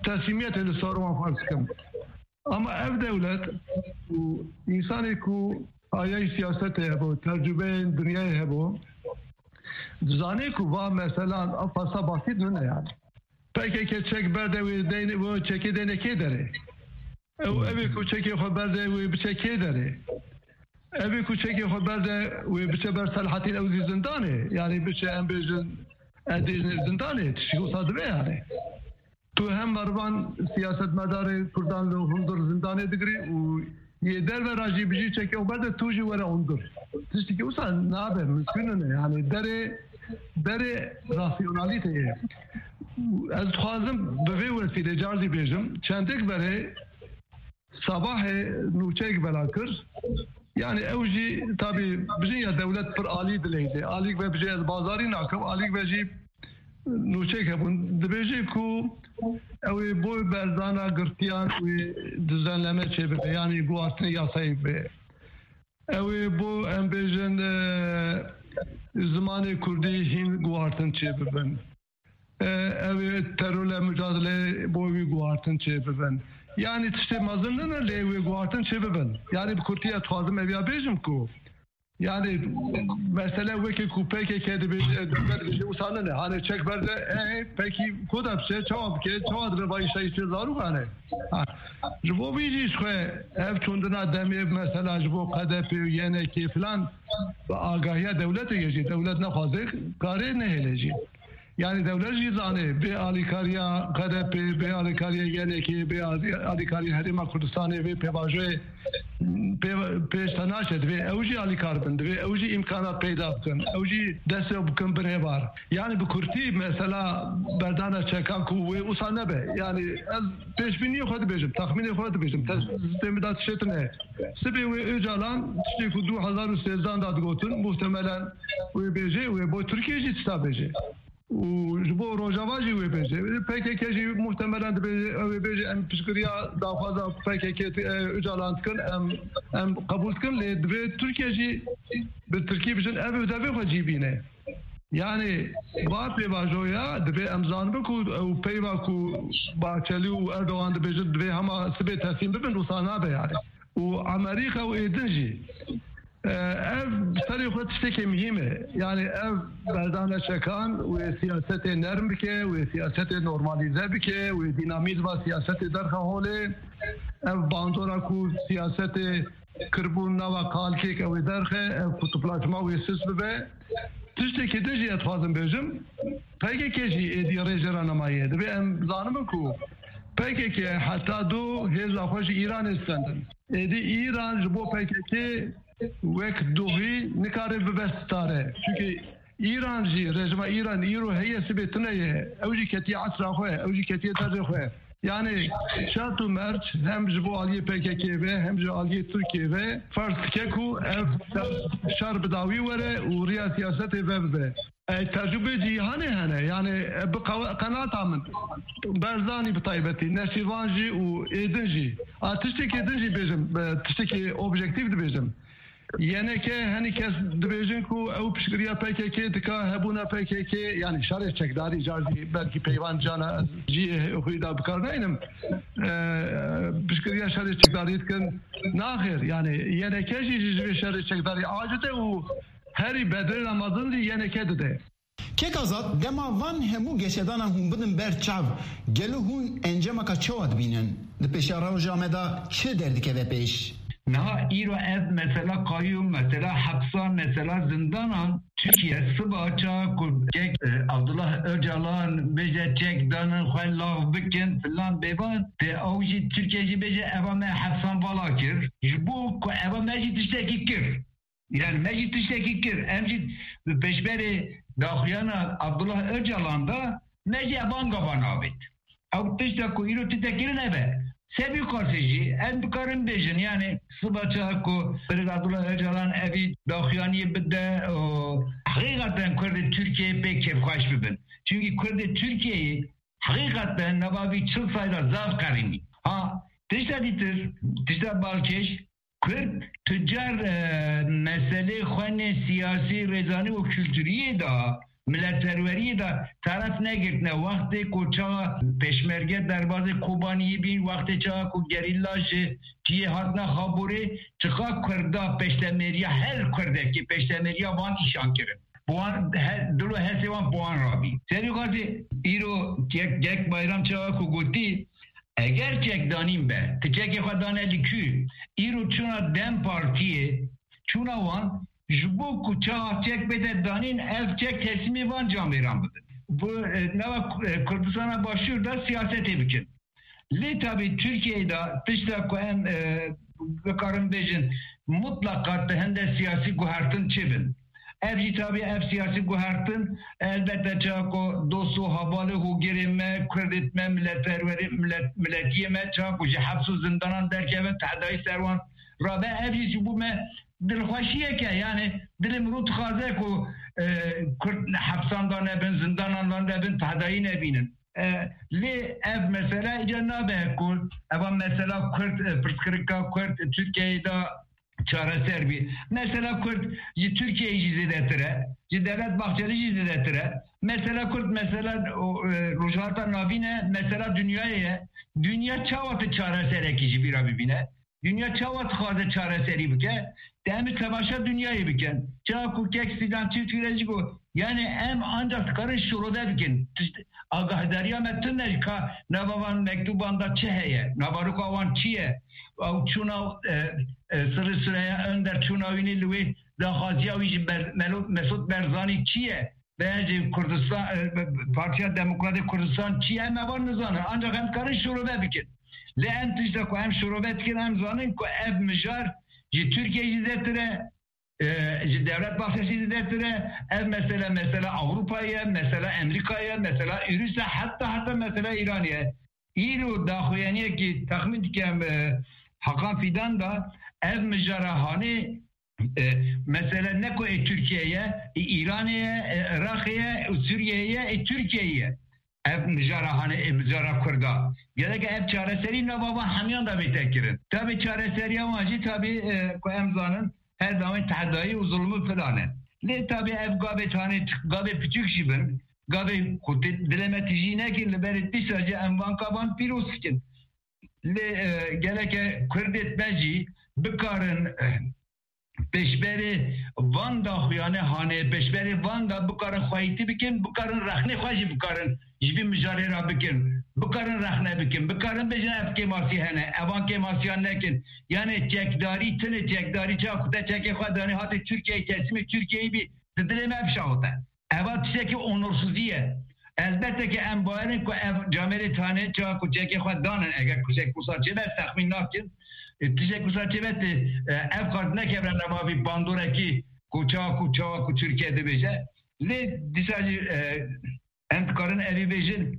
teslîmiyetê li ser wan ferz dikim. Ama ev dewlet û însanê ku ayayî siyasetê hebo, tecrubeyên dinyayê hebo, dizane ku va meselan ev fasa basît nine yani. P K K çek berde wê deyne, wê çekê deyne kê derê? Ew, evê ku çekê xwe berde wê biçe kê derê? Evê ku çekê xwe berde wê biçe ber Selahattin, ew zî zindanê. Yani biçe em bêjin, ez dêjinê zindanê. Tiştî wisa dibe yani. Tu hem merivan siyasetmedarê Kurdan li hundir zindanê digirî û yê derve ra jî bijî çekê xwe berde tu jî were hundir. Tiştekî wisa nabe, mimkun nine. Yani derê, derê rasyonalîteyê. Ez dixwazim bi vê wesîlê car jî bêjim, çendek berê Sabahê nûçeyek bela kir. Yani ew jî tabî bijî ya dewlet pir alî dileyde. Alîk ve bijî ez bazarî nakim, alîk ve jî nûçeyek hebûn. Dibêje ku ew ê bo berdana girtiyan wê düzenleme çêbibe, yani guhartinê yasayê bibe. Ew ê bo em bêjin, e, zimanê kurdî hîn guhartin çêbibin. E, ew ê terorle mücadele bo wî guhartin çêbibin. Yani tiştê mezin nine lê wê guhartin çêbibin. Yani bi kurtiye dixwazim ev ya bêjim ku yani mesele wekî ku P K K dibêje, dewlet dibêje, wisa nine. Hani çek berde, e, pekî ku de biçe, çawa bike, çawa dibe vayî şayî çê zarûkan e? Ha. Ji bo vî jî ji xwe ev çûndina demê mesela ji bo K D P û Y N K filan bi agahiya dewletê ye jî. Dewlet nexwaze karê nehêle jî. Yani dewlet jî zanê bê alîkariya K D P, bê alîkariya Y N K, bê alî-, alîkariya Herêma Kurdistanê, bê pêvajoyê pê, pêş te naçe, divê ew jî alîkar bin, divê ew jî îmkana peyda bikin, ew jî destê bikin binê bar. Yani bi kurtî mesela berdana çekan ku wê wisa nebe. Yani ez pêşbîniyê xwe dibêjim, texmînê xwe dibêjim. Te, destê min de tiştê tune. Sibê wê Ocalan tiştê ku du hezar û sêzdan de digotin, muhtemelen wê bêjê, wê bo Tirkiye jî tişta bêjê. Û ji bo Rojava jî wê bêje. P K K jî muhtemelen dibê, ew ê bêje, em piştgiriya daxwaza P K K, e, Ocalan dikin, em, em qebûl dikin, lê divê Tirkiye jî bi tirkî bijin, ev û devê xwe cî bîne. Yani, va pêvajoya, divê em zanibin ku ew peyva ku Bahçeli û Erdogan dibêjin, divê hema sibê teslîm bibin, wisa nabe yani. Û Amerîka û êdin jî. E, ev serê xwe tiştekê muhîm e. Yani ev berdana çekan wê siyasetê nerm bike, wê siyasetê normalîze bike, wê dînamîzma siyasetê derxe holê. Ev bandora ku siyasetê kiribûn nava kalkêk ew ê derxe, ev kutuplaşma wê sist bibe. Tiştekê din jî ez dixwazim bêjim, P K K jî êdî rêjê re nemaye. Divê em zanibin ku P K K heta do hêza xwe ji Îranê stendin. Êdî Îran ji bo P K K wek dohî nikare bibe stare. Çimkî Îran jî, rejîma Îran îro heye, sibê tune ye. Ew jî ketiye esra xwe, ew jî ketiye derê xwe. Yani şert û merc hem ji bo aliyê P K K ve hem ji aliyê Tirkiye ve ferz dike ku ev şer, şer bi dawî were û riya siyasetê vebibe. E, tecrûbê cîhanê hene. Yani, e, bi qe-, qenaeta min, Barzanî bi taybetî, Neçîrvan jî û êdin jî. A, tiştekê din jî bêjim, e, tiştekê objektîf dibêjim. Y N K, henî kes dibêjin ku ew piştgiriya P K K dika, hebûna P K K, yani şerê çekdarî, car jî belkî peyvan cana ez cihê xwî de bi kar naynim. E, piştgiriya şerê çekdarî dikin. Naxêr, yani Y N K jî ji vê şerê çekdarî aciz e û herî bedelê mezin jî Y N K dide. Kek Azad, dema van hemû geşedanan hûn bidin ber çav, gelo hûn encamaka çawa dibînin? Di pêşiya roja me de çi derdikeve pêş? Niha îro ev mesela qayûm, mesela hepsan, mesela zindanan, Tirkiye siba çawa ku kek, e, Abdullah Öcalan bêje çek danin xwe lav bikin filan bêvan, te ew jî Tirkiye jî bêje eva me hepsan vala kir. Ji bo ku eva me jî tiştekî kir. Yani me jî tiştekî kir. Em jî bi pêşberê daxuyana Abdullah Öcalan de me jî ev anga van avêt. Ew tişta ku îro tê kirin ev e. Sebî qasê jî em dikarin bêjin, yani siba çawa ku Birêz Abdullah Öcalan evî daxuyaniyê bide û heqîqeten Kurdê Tirkiyeyê pê kêfxweş bibin. Çimkî Kurdê Tirkiyeyê heqîqeten nava vî çil salî de zaf qerînî. Ha, tişta dîtir, tişta balkêş, Kurd tu car, e, meselê xwenê siyasî, rêzanî û kulturiyê de, miletperweriyê de teref negirtine. Wextê ku çawa pêşmerge derbazê Kobaniyê bîn, wextê çawa ku gerîla ji cihê hatine Xaborê, çiqa Kurda peştemêriya her Kurdekê, peştemêriya van îşan kirin. Bi wan he-, dil û hesê wan bi wan rabî. Serî xwazê îro kek, kek Bayram çawa ku gotî, eger çekdanîn be, ti çekê xwe dane li kû, îro çûna DEM Partiyê, çûna wan, ji bo ku çawa çek bête danîn, ev çek teslîmê van camêran bibin. Bu, e, nava, e, Kurdistana Başûr de siyasetê bikin. Lê tabî Tirkiyeyê de tişta ku em, e, bikarin bêjin, mutleqa di hinde siyasî guhertin çêbin. Ev jî tabî ev siyasî guhertin, elbette çawa ku dost û hevalê hûgirê me, Kurdê me, miletperwerê, milet-, miletiyê me çawa ku ji heps û zindanan derkevin, tehdayî ser wan rabe, ev jî ji bo me dilxweşiyek e. Yani dilê mirov dixwaze ku, e, Kurd hepsan de nebin, zindanan de nebin, tehdayî nebînin. E, lê ev mesele îca nabe ku eva mesela Kurd, e, pirsgirêka Kurd Tirkiyeyê de çareser bî. Mesela Kurd ji Tirkiyeyê jî zêdetir e, ji Devlet Bahçelî jî zêdetir e. Mesela Kurd, mesela o, e, Rojhilata Navîn e, mesela dinyayê ye. Dinya çawa tu çareserekî ji vî re bibîne? Dinya çawa dixwaze çareserî bike? Te em ê temaşa dinyayê bikin. Çawa ku kek Sîdan Çiftgire jî got, yani em ancak dikarin şirove bikin. Tişt-, agahdariya me tune ka nava van mektuban de çi heye? Navaroka wan çi ye? Ew çûna, e, e, Sirri Süreyya Önder çûna wînî li wê daxwaziya wî ji Ber-, Melo-, Mesut Barzanî çi ye? Bence Kurdistan, e, Partiya Demokratê Kurdistan çi ye? Em eva nizanin. Ancak em karin şirove bikin. Lê em tişta ku em şirove dikin, em zanin ku ev mijar Ji Tirkiyeyê jî zêdetir e, e, ji Devlet Bahçelî zêdetir e. Ev mesele, mesela Ewropa ye, mesela Amerîka ye, mesela Ûrûs e, heta, heta mesela Îranê ye. Îro daxuyaniyekî texmîn dikim, e, Hakan Fîdan da ev mijara hanê, e, mesele ne ku ê Tirkiyeyê ye, ê Îranê ye, ê Iraqê ye, û Sûriyeyê ye, ê Tirkiyeyê ye. Ev mijara hanê, ê mijara Kurda. Gereke ev çareserî nava van hemiyan da bête kirin. Tabî çareseriya wan jî tabî, e, ku em zanin, her dawên tehdayî û zulmû filan e. Lê tabî ev gavê tanê, gavê piçûk jî bin, gavê ku tê dilê me tijî nekin, li berê dîsa jî em van kavan pîroz dikin. Lê, e, gereke Kurdê me jî bikarin, e, pêşberê van daxuyane hanê, pêşberê van da bikarin xweyîtî bikin, bikarin rexnê xwe jî bikarin ji vî mijarê re bikin, bikarin rexne bikin, bikarin bêjin ev kêmasî hene, evan kêmasiyan nekin. Yanê çekdarî, tinê çekdarî, çawa ku te çekê xwe danê hatê Tirkiyeyê, teslimê Tirkiyeyê bî, di dilê me bişawite. Eva tiştekî onorsizî ye. Elbette ki em bawerin ku ev camêrê tanê çawa ku çekê xwe danin, eger ku çek wisa çêbe, ez texmîn nakin. E, tiştek wisa çêbe tê, e, ev qas nekevre nava vî bandorekî ku çawa ku, çawa ku Tirkiye dibêje. Lê dîsa jî, e, em dikarin evî bêjin.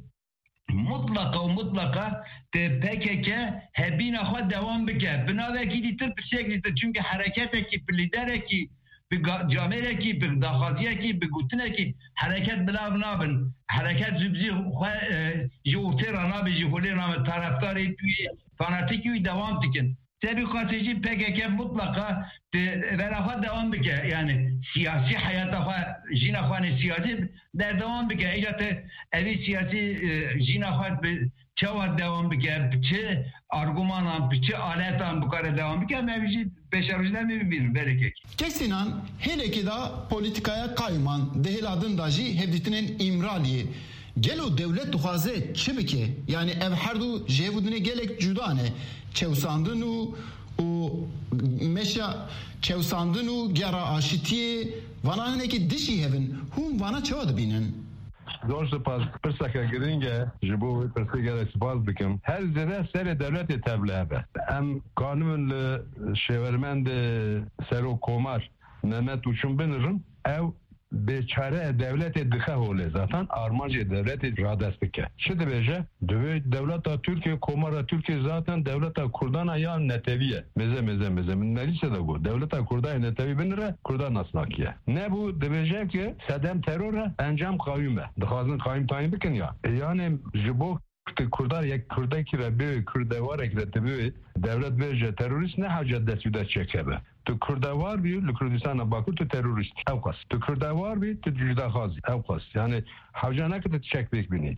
Mutlaqa û mutlaqa te P K K hebîna xwe dewam bike. Bi navekî dîtir, piçek dîtir. Çimkî hereketekî, bi lîderekî, bi ga-, camêrekî, bi daxwaziyekî, bi gotinekî hereket bila ev nabin. Hereket ji, ji xwe, e, ji ortê re nabe, ji holê re nabe. Taraftarê wî, fanatîkî wî dewam dikin. Te bi xwesê jî P K K mutlaqa di vera xwe dewam bike. Yani siyasî heyata xwe, jîna xwe ne siyasî berdewam bike. Îca te evî siyasî, e, jîna xwe bi çawa dewam bike, bi çi argumanan, bi çi aletan bikare dewam bike, em evî jî pêşerojî de em ê bibînin, belê kek. Kesînan hêlekê de polîtîkaya qayûman di hêla din de jî hevdîtinên Îmraliyê. Gelo dewlet dixwaze çi bike? Yani ev her du ji hevdîtinê gelek cuda ne. Çewsandin û, û meşa çewsandin û gera aşitiyê, vana hinekî dijî hevin. Hûn vana çawa dibînin? Zor spas. Pirseke girîng e. Ji bo wê pirsê gelek spas dikim. Her zêde serê dewletê tevlihev e. Em kanibin li şêwermendê serok komar Mehmet Uçum binirin. Ew bêçare dewletê dixe holê. Zaten armancê dewletê radest dike. Çi dibêje? Divê dewleta Tirkiye, komara Tirkiye zaten dewleta Kurdana ya netewî ye. Mêze, mêze, mêze. Min nelîse de got. Dewleta Kurda yê netewî binire, Kurda nasnakiye. Nebû, dibêje ki sedem teror e, encam qayûm e. Dixwazin qayûm tayîn bikin ya. E, yani ji bo tu Kurda yek Kurdekî re bê, Kurdewarekî re tu bê, dewlet bêje terorîst, ne hewce dest wî de çek hebe. Tu Kurdewar bî, li Kurdistana Bakur tu terorîst. Ew qas. Tu Kurdewar bî, tu cudaxaz î. Ew qas. Yani hewce nake tu çek pêk bînî.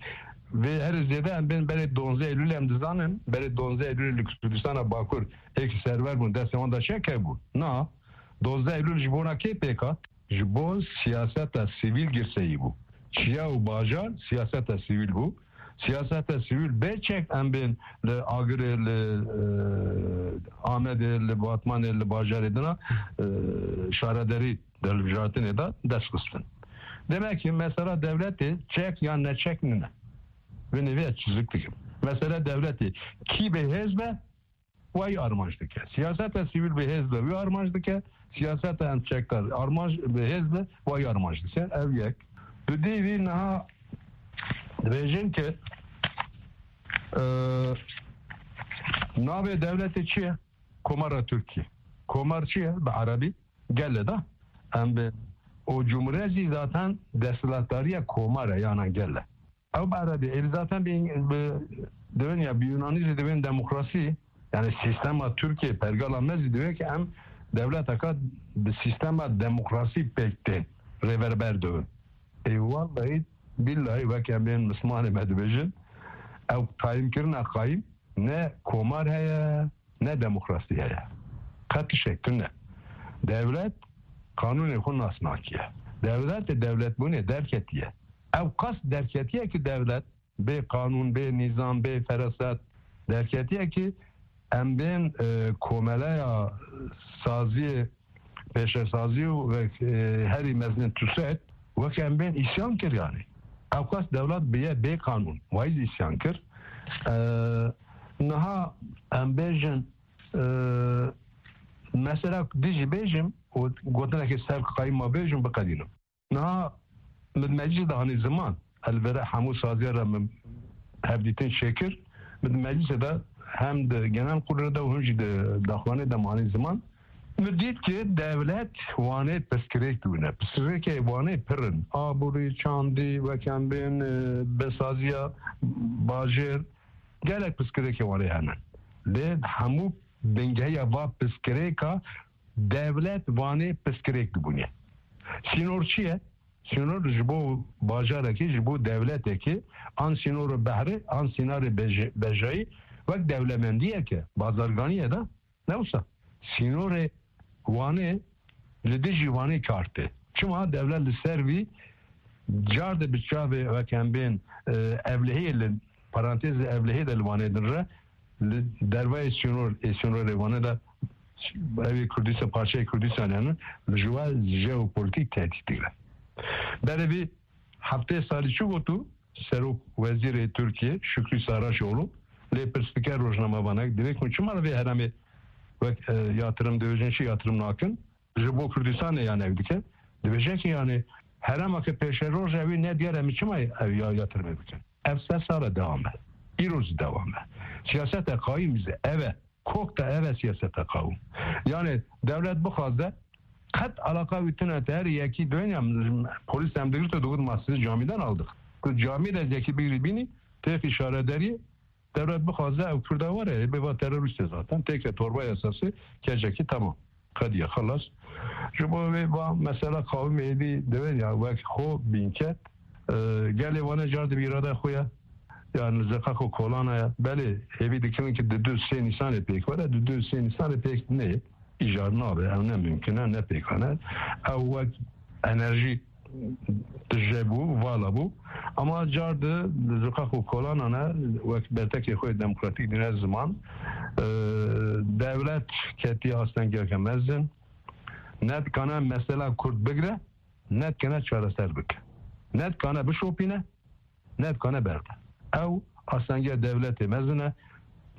Vê herî zêde em bên berê donzdeh Eylûl em dizanin. Berê donzdeh Eylûl li Kurdistana Bakur êk server bûn, destê wan de çek hebû. Na. Donzdeh Eylûl ji bona kê pêk hat? Ji bo siyaseta sivîl girseyî bû. Çiya û bajar siyaseta sivîl bû. Siyaseta sivîl bê çek em bên li Agirê, li, e, Amedê, li Batmanê, li bajarê dina, e, şaredarî de hilbijartinê de dest xistin. Demek ki mesela dewletê çek yan neçek nine. Binê vê çizik dikim. Mesela dewletê kî bê hêz be, wayî armanc dike. Siyaseta sivîl bi hêz be wî armanc dike. Siyaseta em çekdar armanc bi hêz be wayî armanc dike. Ev yek. Dudî vî niha dibêjin ki, e, navê dewletê çi ye? Komara Tirkî. Komar çi ye? Bi erebî gel e da. Em bi o cumhuriyet jî zaten desthilatdariya komar e, yana gel e. Ew bi erebî, êdî zaten bi, bi, dibên ya bi Yunanî jî dibên demokrasî, yani sîstema Tirkiye, pergala me jî divê ki em dewleteka bi sîstema demokrasî pêk tên, rêverber dibin. Ê wallahî, billahî wek em bên mislimanê me dibêjin, ew tayînkirina qayîm ne komar heye, ne demokrasî heye. Qet tiştek tune. Dewlet qanûnê xwe nas nakiye. Dewlet ê dewletbûnê derketiye. Ew qas derketiye ki dewlet bê qanûn, bê nîzam, bê feraset derketiye ki em bên, e, komeleya saziyê, pêşesazî û, e, herî mezin TUSED wek em bên îsyan kir yani. Ew qas dewlet biye bê qanûn. Wayî îsyan kir. E, niha em bêjin, e, Mesela dî jî bêjim û gotinekê ser qayîm ma bêjim biqedînim. Niha min meclîsê de hanî ziman, elvere hemû saziya re min hevdîtin çêkir. Min meclîsê de hem di genel kurulê de û him jî di daxuyanê de min hanî ziman. Min dît ki dewlet Wanê pirsgirêk dibûne. Pirsgirêkê Wanê pir in. Aborî, çandî, wek em bên, e, besaziya bajêr. Gelek pirsgirêkê Wanê hene. Lê hemû bingehiya va pirsgirêka dewlet Wanê pirsgirêk dibûne. Sînor çi ye? Sînor ji bo bajarekî, ji bo dewletekî an sînora behre, an sînorê beje-, bejayî wek dewlemendiyeke bazarganî ye de, ne wisa. Sînorê Wanê li dijî Wanê kar tê. Çima dewlet li ser vî car de bi çavê wek em bên, e, evlehiyê li parantezê evlehiyê de li Wanê din re, li dervayê sînor, ê sînorê Wanê de ev ê Kurdistan, parçeyê Kurdistan yani, li ji we jeopolîtîk tehdît digre. Berê vî heftê salî çi gotu? Serok Wezîrê Tirkiye Şükrü Saraçoğlu lê pirs dike rojnamevanek, divê ku çima li vê heremê wek, e, yatirim dibêjin, çi yatirim nakin? Ji bo Kurdistanê yani ev dike. Dibêje ki yani herema ki pêşeroj ew ê nediyar em çima ev ya yatirimê bikin? Ev sed sal e dewam e. Îro jî dewam e. Siyaseta qayîm jî ev e. Kok de ev e siyaseta qawim. Yani dewlet bixwaze qet alaqa wî tune te her yekî doyên ya polîs em digirto digot ma sizi camiden aldık. Tu camî de yekî bigirî bînî têxî şaredariyê dewlet bixwaze ew Kurda were, ê bê va terorîst e zaten. Têke torba yasası kecekî tamam. Qediye xelas. Ji bo vê va mesela qawimê êdî divên ya wek xwe bînket, e, gelê wane car dibe îrada xwe ye. Yani zeqaq û kolana ye. Belê hêvî dikirin ki di du sê Nîsanê pêk were, di du sê Nîsanê pêk neyê. Îcar nabe, ew ne mimkin e, ne pêkan e. Ew wek enerjî tije bû, vala bû. Ama car di zeqaq û kolana ne, wek bertekê xwe demokratîk dîne ziman. E, dewlet ketiye astengiyeke mezin. Ne dikane mesela Kurd bigre, ne dikane çareser bike. Ne dikane bişopîne, ne dikane berde. Ew astengiya dewletê mezin e.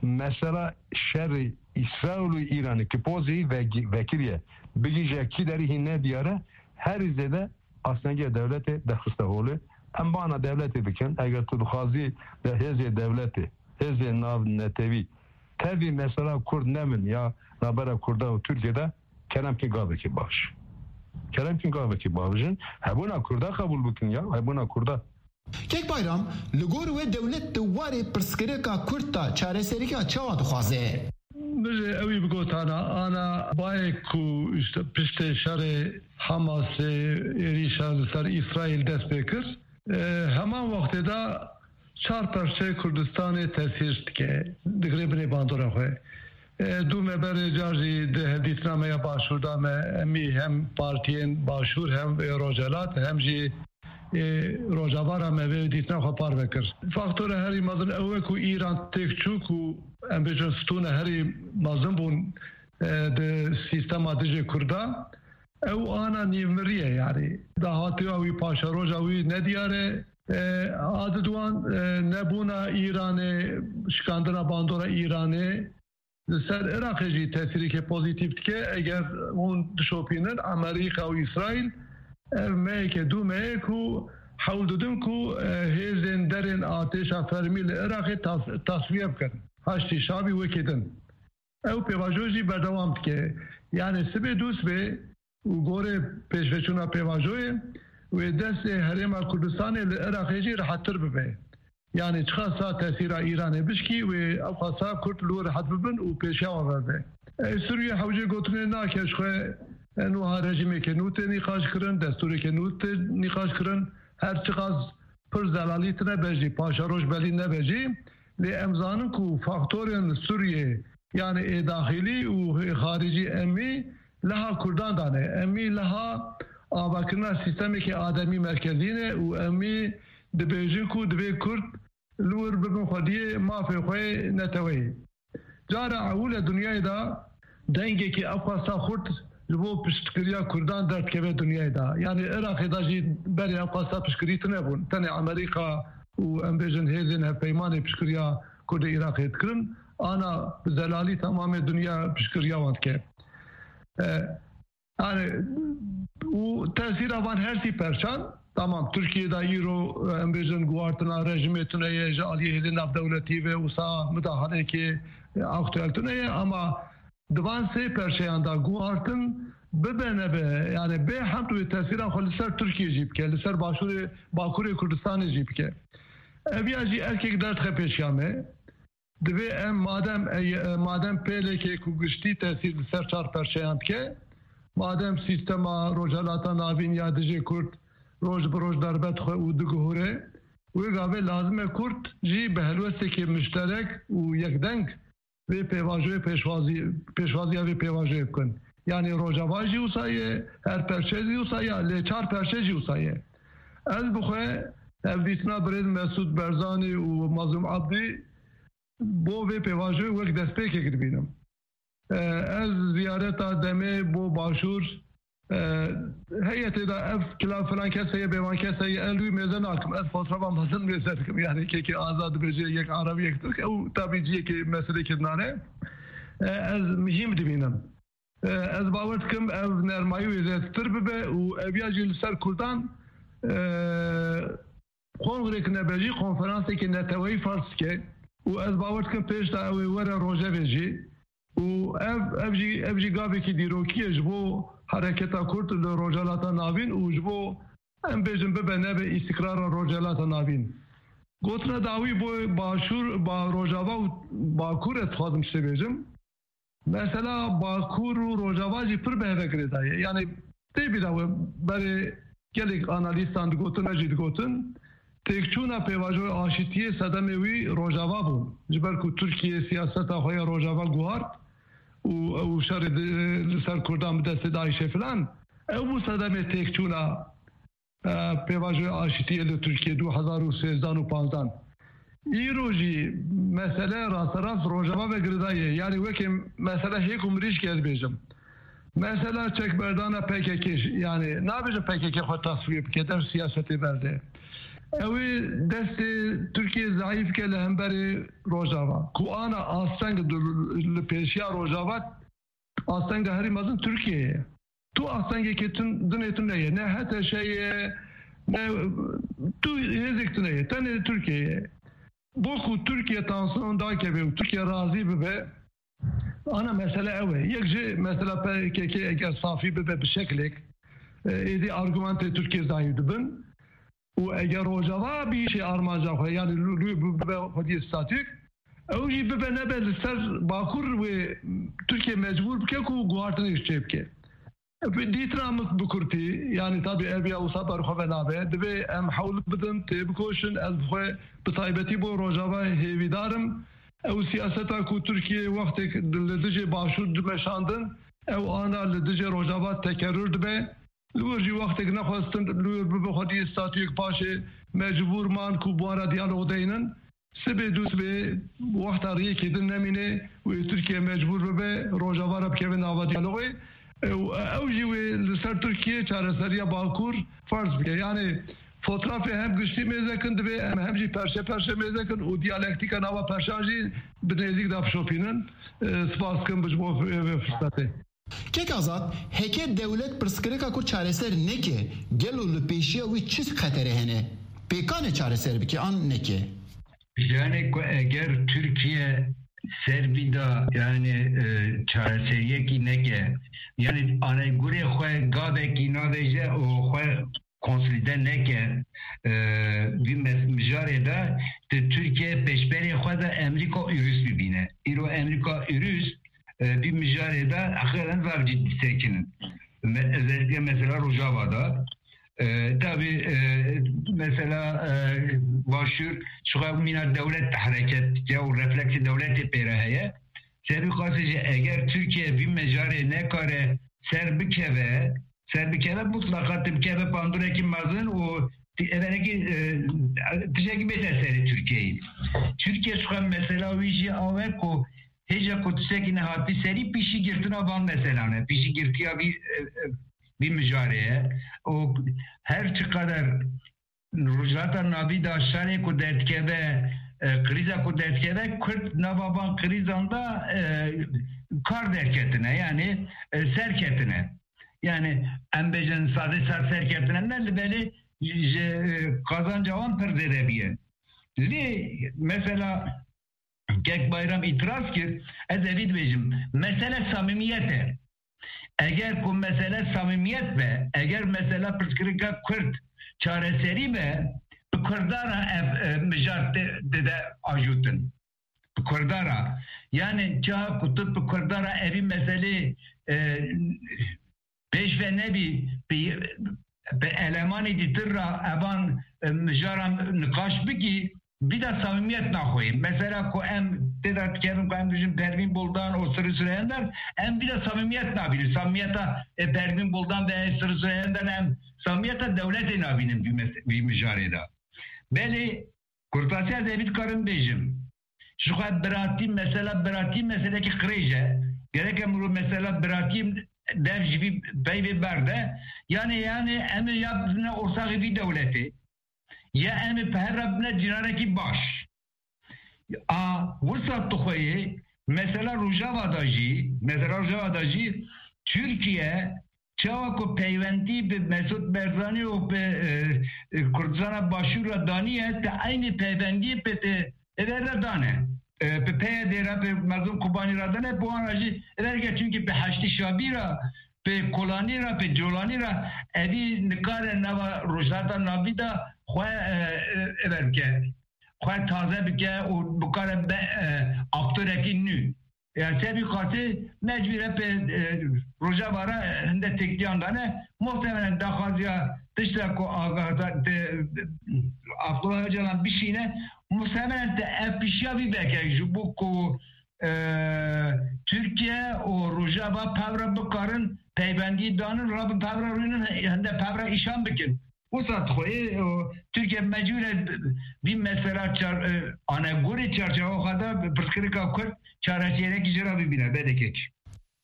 Mesela şerê Îsraîl û Îranê ki pozî vegi-, vekiriye, bigîje kî derî hîn nediyar e, herî zêde astengiya dewletê derxiste holê. Em bana dewletê bikin, eger tu dixwazî de hêzê dewletê, hêzê navnetewî, tevî mesela Kurd nemin ya nabera Kurda û Tirkiye de, kerem ki gavekî bavij. Kerem ki gavekî bavijin, hebûna Kurda qebûl bikin ya, hebûna Kurda. Kek Bayram, li gor we dewlet di warê pirsgirêka Kurd de çareserîka çawa dixwaze? Min ji ewî bigotana, ana bayê ku işte piştê şerê Hamasê êrîşa li ser Îsraîl dest pê kir, e, heman wextê de çar perçeyê Kurdistanê tesîr dike, digire binê bandora xwe. E, dû me berê car jî di hevdîtina me ya Başûr de me, em î hem partiyên Başûr hem, e, Rojhelat hem jî ê Rojava re me vê dîtina xwe parve kir. Faktora herî mezin ew e ku Îran têk çû ku em bêjin stûne herî mezin bûn, e, di sîstema dijê Kurda. Ew ana nîvmirî ye, yanî dahatiya wî, paşeroja wî nediyar e. E, a di duwan, e, nebûna Îranê, şikandina bandora Îranê, li ser Iraqê jî tesîreke pozîtîf dike. Eger hûn dişopînin, Amerîka û Îsraîl ev meyeke dû meyek û hewl didin ku, e, hêzên derên artêşa fermî li Iraqê tas-, tasfiye bikin. Haştî Şabî wekî din. Ew pêvajo jî berdewam dike. Yanî sibê dû sibê û gorê pêşveçûna pêvajoyê wê destê Herêma Kurdistanê li Iraqê jî rehettir bibe. Yanî çiqasa tesîra Îranê bişkî, wê ew xasa Kurd li wir rehet bibin û pêşiya wan verde. Ê Sûriyê hewcê gotinê nake, ji xwe, e, nuha rejîmeke nû tê nîqaş kirin, destûreke nû tê nîqaş kirin. Her çiqas pir zelalî tine be jî, paşeroj belî nebe jî, lê em zanin ku faktorên Sûriyê, yanî ê daxilî û ê xaricî, emî leha Kurdan de ne. Emî leha avakirina sîstemeke ademî merkezî ne û emî dibêjin ku divê Kurd li wir bibin xwediyê mafê xwe yê neteweyê. Cara ewil e dinyayê de dengekî ew xwesta xurt ji bo piştgiriya Kurdan derdikeve dinyayê de. Yanî Iraqê de jî berê ew xwesta piştgirî tune bûn. Tenê Amerîka û, em bêjin, hêzên hevpeymanê piştgiriya Kurdê Iraqê dikirin. Ana bi zelalî temamê dinya piştgiriya wan dike. E, yani û tesîra van her sî perçan, tamam, Tirkiye de îro, e, em bêjin guhartina rejimê tune ye, ji aliyê hêzên navdewletî ve wisa midahaleyekê, e, aktuel tune ye, ama di van sê perçeyan de guhartin bibe nebe, yani bê hemd wê tesîra xwe li ser Tirkiye jî bike, li ser başûrê, bakurê Kurdistanê jî bike. Ev ya jî erkek derdixe pêşiya me. Divê em madem, ey, madem pêlekê ku giştî tesîr li ser çar perçeyan dike, madem sîstema Rojhelata Navîn ya dijê Kurd roj bi roj derbe dixwe û diguhure, wê gavê lazim e Kurd jî bi helwestekê mişterek û yekdeng vê pêvajoyê pêşwazî-, pêşwaziya vê pêvajoyê bikin. Yanî Rojava jî wisa ye, her perçe jî wisa ye, lê çar perçe jî wisa ye. Ez bi xwe hevdîtina birêz Mesûd Barzanî û Mazlûm Abdî bo vê pêvajoyê wek destpêkek dibînim. E, ez ziyareta demê bo Başûr, e, heye tê de ev kila filan kes heye, bêvan kes heye, ez wî mêze nakim. Ez fotoğrafa mezin mêze dikim. Yani kekê azad dibêje yek Arab, yek Tirk. Ew tabî ciyekê meselekê dinane. E, ez muhîm dibînim. E, ez bawer dikim ev nermayî wê zêdetir bibe û ev ya jî li ser Kurdan, e, kongrek nebe jî konferansekê neteweyî farz dike û ez bawer dikim pêş de ew ê were rojevê jî û ev, ev jî, ev jî gavekî dîrokî ye ji bo hereketa Kurd li Rojhelata Navîn û ji bo, em bêjin, bibe nebe îstikrara Rojhelata Navîn. Gotina dawî bo Başûr, ba Rojava û Bakur ez dixwazim tiştê bêjim. Mesela Bakur û Rojava jî pir bi heve girêdayî ye. Yani tê bîra we berê gelek analîstan digotin, me jî digotin, têkçûna pêvajoya aşîtiyê sedemê wî Rojava bû. Ji ber ku Tirkiye siyaseta xwe ya Rojava guhart û ew şerê di-, li ser Kurdan bi destê DAIŞê filan, ew bû sedemê têkçûna e, pêvajoya aşitiyê li Tirkiye du hezar û sêzdan û panzdan. Îro jî mesele rasterast Rojava ve girêdayî ye. Yani wekî mesele hêk û mirîşkê ez bêjim. Mesela çekberdana P K K, yani nabêjim P K K xwe tasfiye bike, dev siyasetê berde. Ew ê destê Tirkiye zayîf ke li hemberê Rojava. Ku ana asteng li, li pêşiya Rojava, astenga herî mezin Tirkiye ye. Tu astengekê tun-, dinê tune ye. Ne H T Ş ye, ne tu hêzek tune ye. Tenê Tirkiye ye. Bo ku Tirkiye tansiyon dakeve û Tirkiye razî bibe, ana mesele ew e. Yek jî mesela P K K eger safî bibe bi şeklek, e, êdî argumentê Tirkiye zayîf dibin. Û eger Rojava bihişê armanca xwe, yani lû, lû bibe xwediyê statûk, ew jî bibe nebe li ser Bakur wê Tirkiye mecbûr bike ku guhartinê çêbike. Dîtina min bi kurtî, yani tabî ev ya wisa ber xwe ve nabe, divê em hewl bidin, têbikoşin, ez bi xwe bi taybetî bo Rojava hêvîdar im. Ew siyaseta ku Tirkiye wextek li dijê Başûr dimeşandin, ew ana li dijê Rojava tekerrür dibe. Li wir jî wextek nexwestin li wir bibe xwediyê statûyek paşê mecbûr man ku bi wan re diyalog deynin. Sibê dû sibê wexta riyekê din nemîne û ê Tirkiye mecbûr bibe Rojava re bikeve nava diyalogê. Ew, ew jî wê li ser Tirkiye çareseriya Bakur ferz bike. Yani fotoğrafê hem giştî mêze kin divê em hem jî perşe perşe mêze kin û diyalektîka nava perşan jî bi nêzîk de bişopînin. E, spas dikim ji bo vê, vê firsete. Kek Azad, heke dewlet pirsgirêka ku çareser neke, gelo li pêşiya wî çi xetere hene? Pêkan e çareser bike an neke? Yani ku eger Tirkiye ser bîda, yani, e, çareseriyekî neke, yani anegurê xwe gavekî navêje û xwe konsolîde neke, e, vî mes-, mijarê de, di Tirkiye pêşberê xwe de Amerîka û Rûs bibîne. Îro Amerîka û Rûs, e, vî mijarê de heqîqeten vav jî disekinin. Me-, özellikle mesela Rojava de. E, tabii, e, mesela, e, Başûr, şuxa mîna dewlet hareket dike û refleksê dewletê pê re heye. Serî xasê jî eger Tirkiye vî mijarê nekare ser bikeve, ser bikeve, mutlaka tu bikeve pandurekî mezin û ti-, evenekî, e, tiştekî bête serê Tirkiyeyê. Tirkiye şuxa mesela wî jî awe ku hêja ku tiştekî nehatî serî pîşî girtina van meselan e. Pîşî girtiya vî, e, e, vî mijarê ye. Û her çiqader Rojhilata Navî de şerê ku derdikeve, e, krîza ku derdikeve, Kurd nava van krîzan de, e, kar derketine, yani, e, serketine. Yani, em bêjin sadê ser serketine ne, li belê ji, e, kazanca wan pir zêde biye. Lê mesela Kek Bayram îtiraz kir, ez evî dibêjim, mesele samîmiyet e. Eger ku mesele samîmiyet be, eger mesela pirsgirêka Kurd çareserî be, bi Kurdan re ev, e, mijar te, dide ajûtin. Bi Kurdan re. Yani çawa ku tu bi Kurdan re evî meselê, e, pêş ve nebî, bi, bi elemanê dîtir re evan, e, mijaran niqaş bikî, vî de samîmiyet naxweyî. Mesela ku em tê de dikevin ku em bijin Pervîn Buldan û Sirri Süreyya Önder, em vî de samîmiyet nabînin. Samîmiyeta, e, Pervîn Buldan ve Sirri Süreyya Önder em samîmiyeta dewletê nabînin vî mes-, vî mijarê de. Belê, kurtasiya ez evî dikarim bêjim. Ji xwe biratî, mesela biratî meselekî qirêj e. Gerek em ro mesela biratî dev ji vî peyvê berde. Yani, yani em ê ya bibine ortaxê vî dewletê, ya em ê bi hev re bibine cîranekî baş. A, wisa tu xwe yê, mesela Rojava da jî, mesela Rojava da jî Tirkiye çawa ku peywendî bi Mesûd Barzanî û bi, e, e, Kurdistana Başûr re daniye, te eynî peywendiyê pê te êver re dane. E, bi P Y D re, bi Mezlûm Kobanî re dane, bi wan re jî êver ke, çimkî bi Heştî Şabî re, bi Kolanî re, bi Colanî re, evî nikare nava Rojhilata Navîn de xwe, e, e, êver bike. Xwe taze bike û bikare be, e, aktorekî nû. Ya, sebî qasî mecbûr e pê, e, Rojava re, e, hinde têkiliyan dane. Muhtemelen daxwaziya tişta ku Aga-, te, Abdullah Öcalan bişîne, muhtemelen te ev pişiya vî veke ji bo ku, e, Tirkiye û Rojava pevre bikarin peywendî danin, rabin pevre rûnin, hinde pevre îşan bikin. Wisa dixweyê, o, Tirkiye mecbûr e vî mesela çar-, e, anegorê çarçewa xwe de pirsgirêka Kurd çareseriyekî jê re bibîne, belê kek.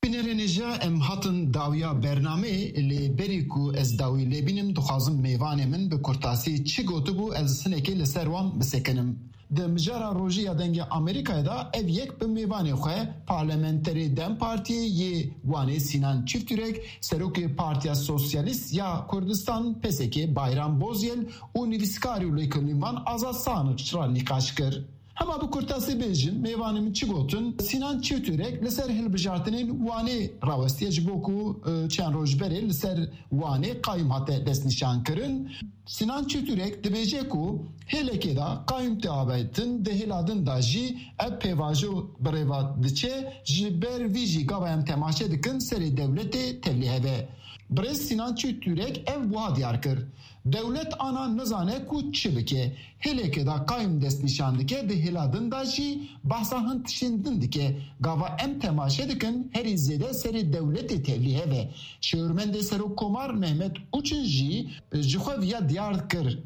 Bînerên hêja, em hatin dawiya bernameyê, lê berî ku ez dawî lê bînim, dixwazim mêvanê min bi kurtasî çi gotibû, ez sinekê li ser wan bisekinim. Di mijara rojî ya Dengê Amerîkayê de ev yek bi mêvanê xwe, parlamenterê DEM Partiyê yê Wanê Sînan Çifturek, serokê Partiya Sosyalîst ya Kurdistan, P S K, Bayram Bozyel û nivîskarî û lêkolînvan Azad Sanix re nîqaş kir. Hema bi kurtasî bêjim, mêvanê min çi gotin? Sînan Çifturek li ser hilbijartinên Wanê rawestiye, ji bo ku, e, çend roj berê li ser Wanê qayûm hate destnîşankirin. Sînan Çifturek dibêje ku hêlekê de qayûm tê avêtin, di hêla din de jî ev pêvajo bi rê ve diçe, ji ber vî jî gava em temaşe dikin serê dewletê tevlî hev e. Birêz Sînan Çifturek ev wiha diyar kir, Dewlet ana nizane ku çi bike. Hêlekê de qayûm destnîşan dike, di hêla din de jî behsa hin tiştên din dike. Gava em temaşe dikin, herî zêde serê dewletê tevlî hev e. Şêwirmendê Serokkomar Mehmet Uçin jî ji xwe viya diyar kir.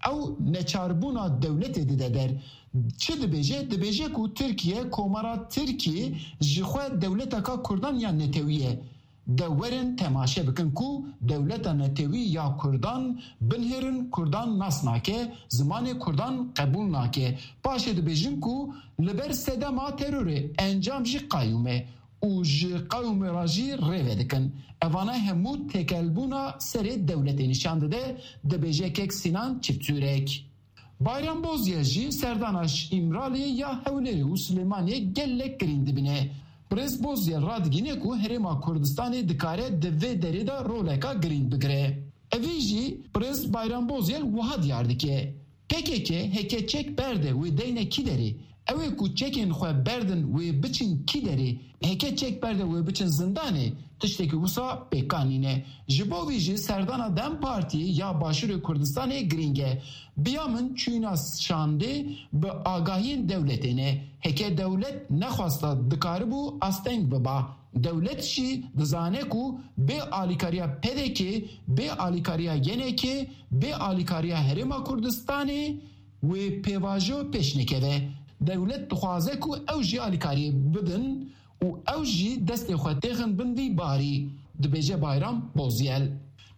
Ew neçarbûna dewletê dide der. Çi dibêje? Dibêje ku Tirkiye, Komara Tirkî ji xwe dewleteka Kurdan ya netewî ye. De werin temaşe bikin ku dewleta netewî ya Kurdan binihêrin, Kurdan nas nake, zimanê Kurdan qebûl nake. Paşê dibêjin ku li ber sedema terorê encam jî qayûm e. û ji qewmê re jî rê vedikin. Evana hemû têkelbûna serê dewletê nîşan dide, dibêje kek Sînan Çiftçûrek. Bayram Bozyel jî serdana Îmraliyê ya Hewlêrê û Silêmaniyê gelek girîng dibîne. Birêz Bozyel radigihîne ku Herêma Kurdistanê dikare di vê derê de roleka girîng bigire. Evî jî Birêz Bayram Bozyel wiha diyar dike. P K K heke çek berde wê deyne kî derê? Ew ê ku çekên xwe berdin wê biçin kî derê? Heke çek berde wê biçin zindanê, tiştekî wisa pêkan nîne. Ji bo vî jî serdana DEM Partiyê ya Başûrê Kurdistanê girîng e. Biya min çûyîna şandê bi agahiyên dewletê ne. Heke dewlet nexwesta dikaribû asteng biba. Dewlet jî dizane ku bê alîkariya P D K, bê alîkariya Y N K, bê alîkariya Herêma Kurdistanê wê pêvajo pêş nekeve. Dewlet dixwaze ku ew jî alîkariyê bidin û ew jî destê xwe têxin bin vî barî, dibêje Bayram Bozyel.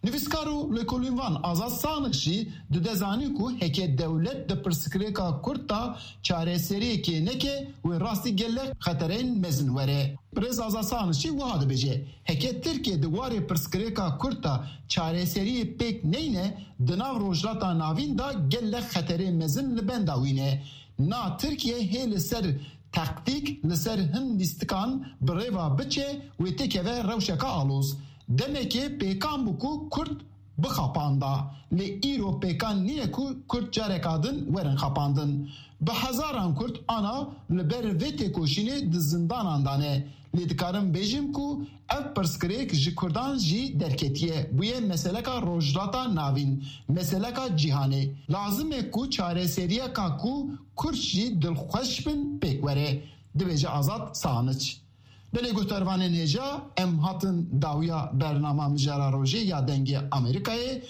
Nivîskar û lêkolînvan Azad Saniq jî dide zanîn ku heke dewlet di pirsgirêka Kurd de çareseriyekê neke, wê rastî gelek xetereyên mezin were. Birêz Azad Saniq jî wiha dibêje, heke Tirkiye di warê pirsgirêka Kurd de çareseriyê pêk neyne, di nav Rojhilata Navîn de gelek xeterê mezin li benda wî ne. Na Tirkiye hê li ser taktîk, li ser hin lîstikan bi rê ve biçe, wê têkeve rewşeke aloz. Demekê pêkan bû ku Kurd bixapanda. Lê îro pêkan nîne ku Kurd careka din werin xapandin. Bi hezaran Kurd ana li ber vê têkoşînê di zindanan de ne. Lê dikarim bêjim ku ev pirsgirêk ji Kurdan jî derketiye, bûye meseleka Rojhilata Navîn, meseleka cîhanê. Lazim e ku çareseriyeka ku Kurd jî dilxweş bin pêk were, dibêje Azad Saniç. Belê guhdarvanên hêja, em hatin dawiya bernama Mijara Rojê ya Dengê Amerîkayê.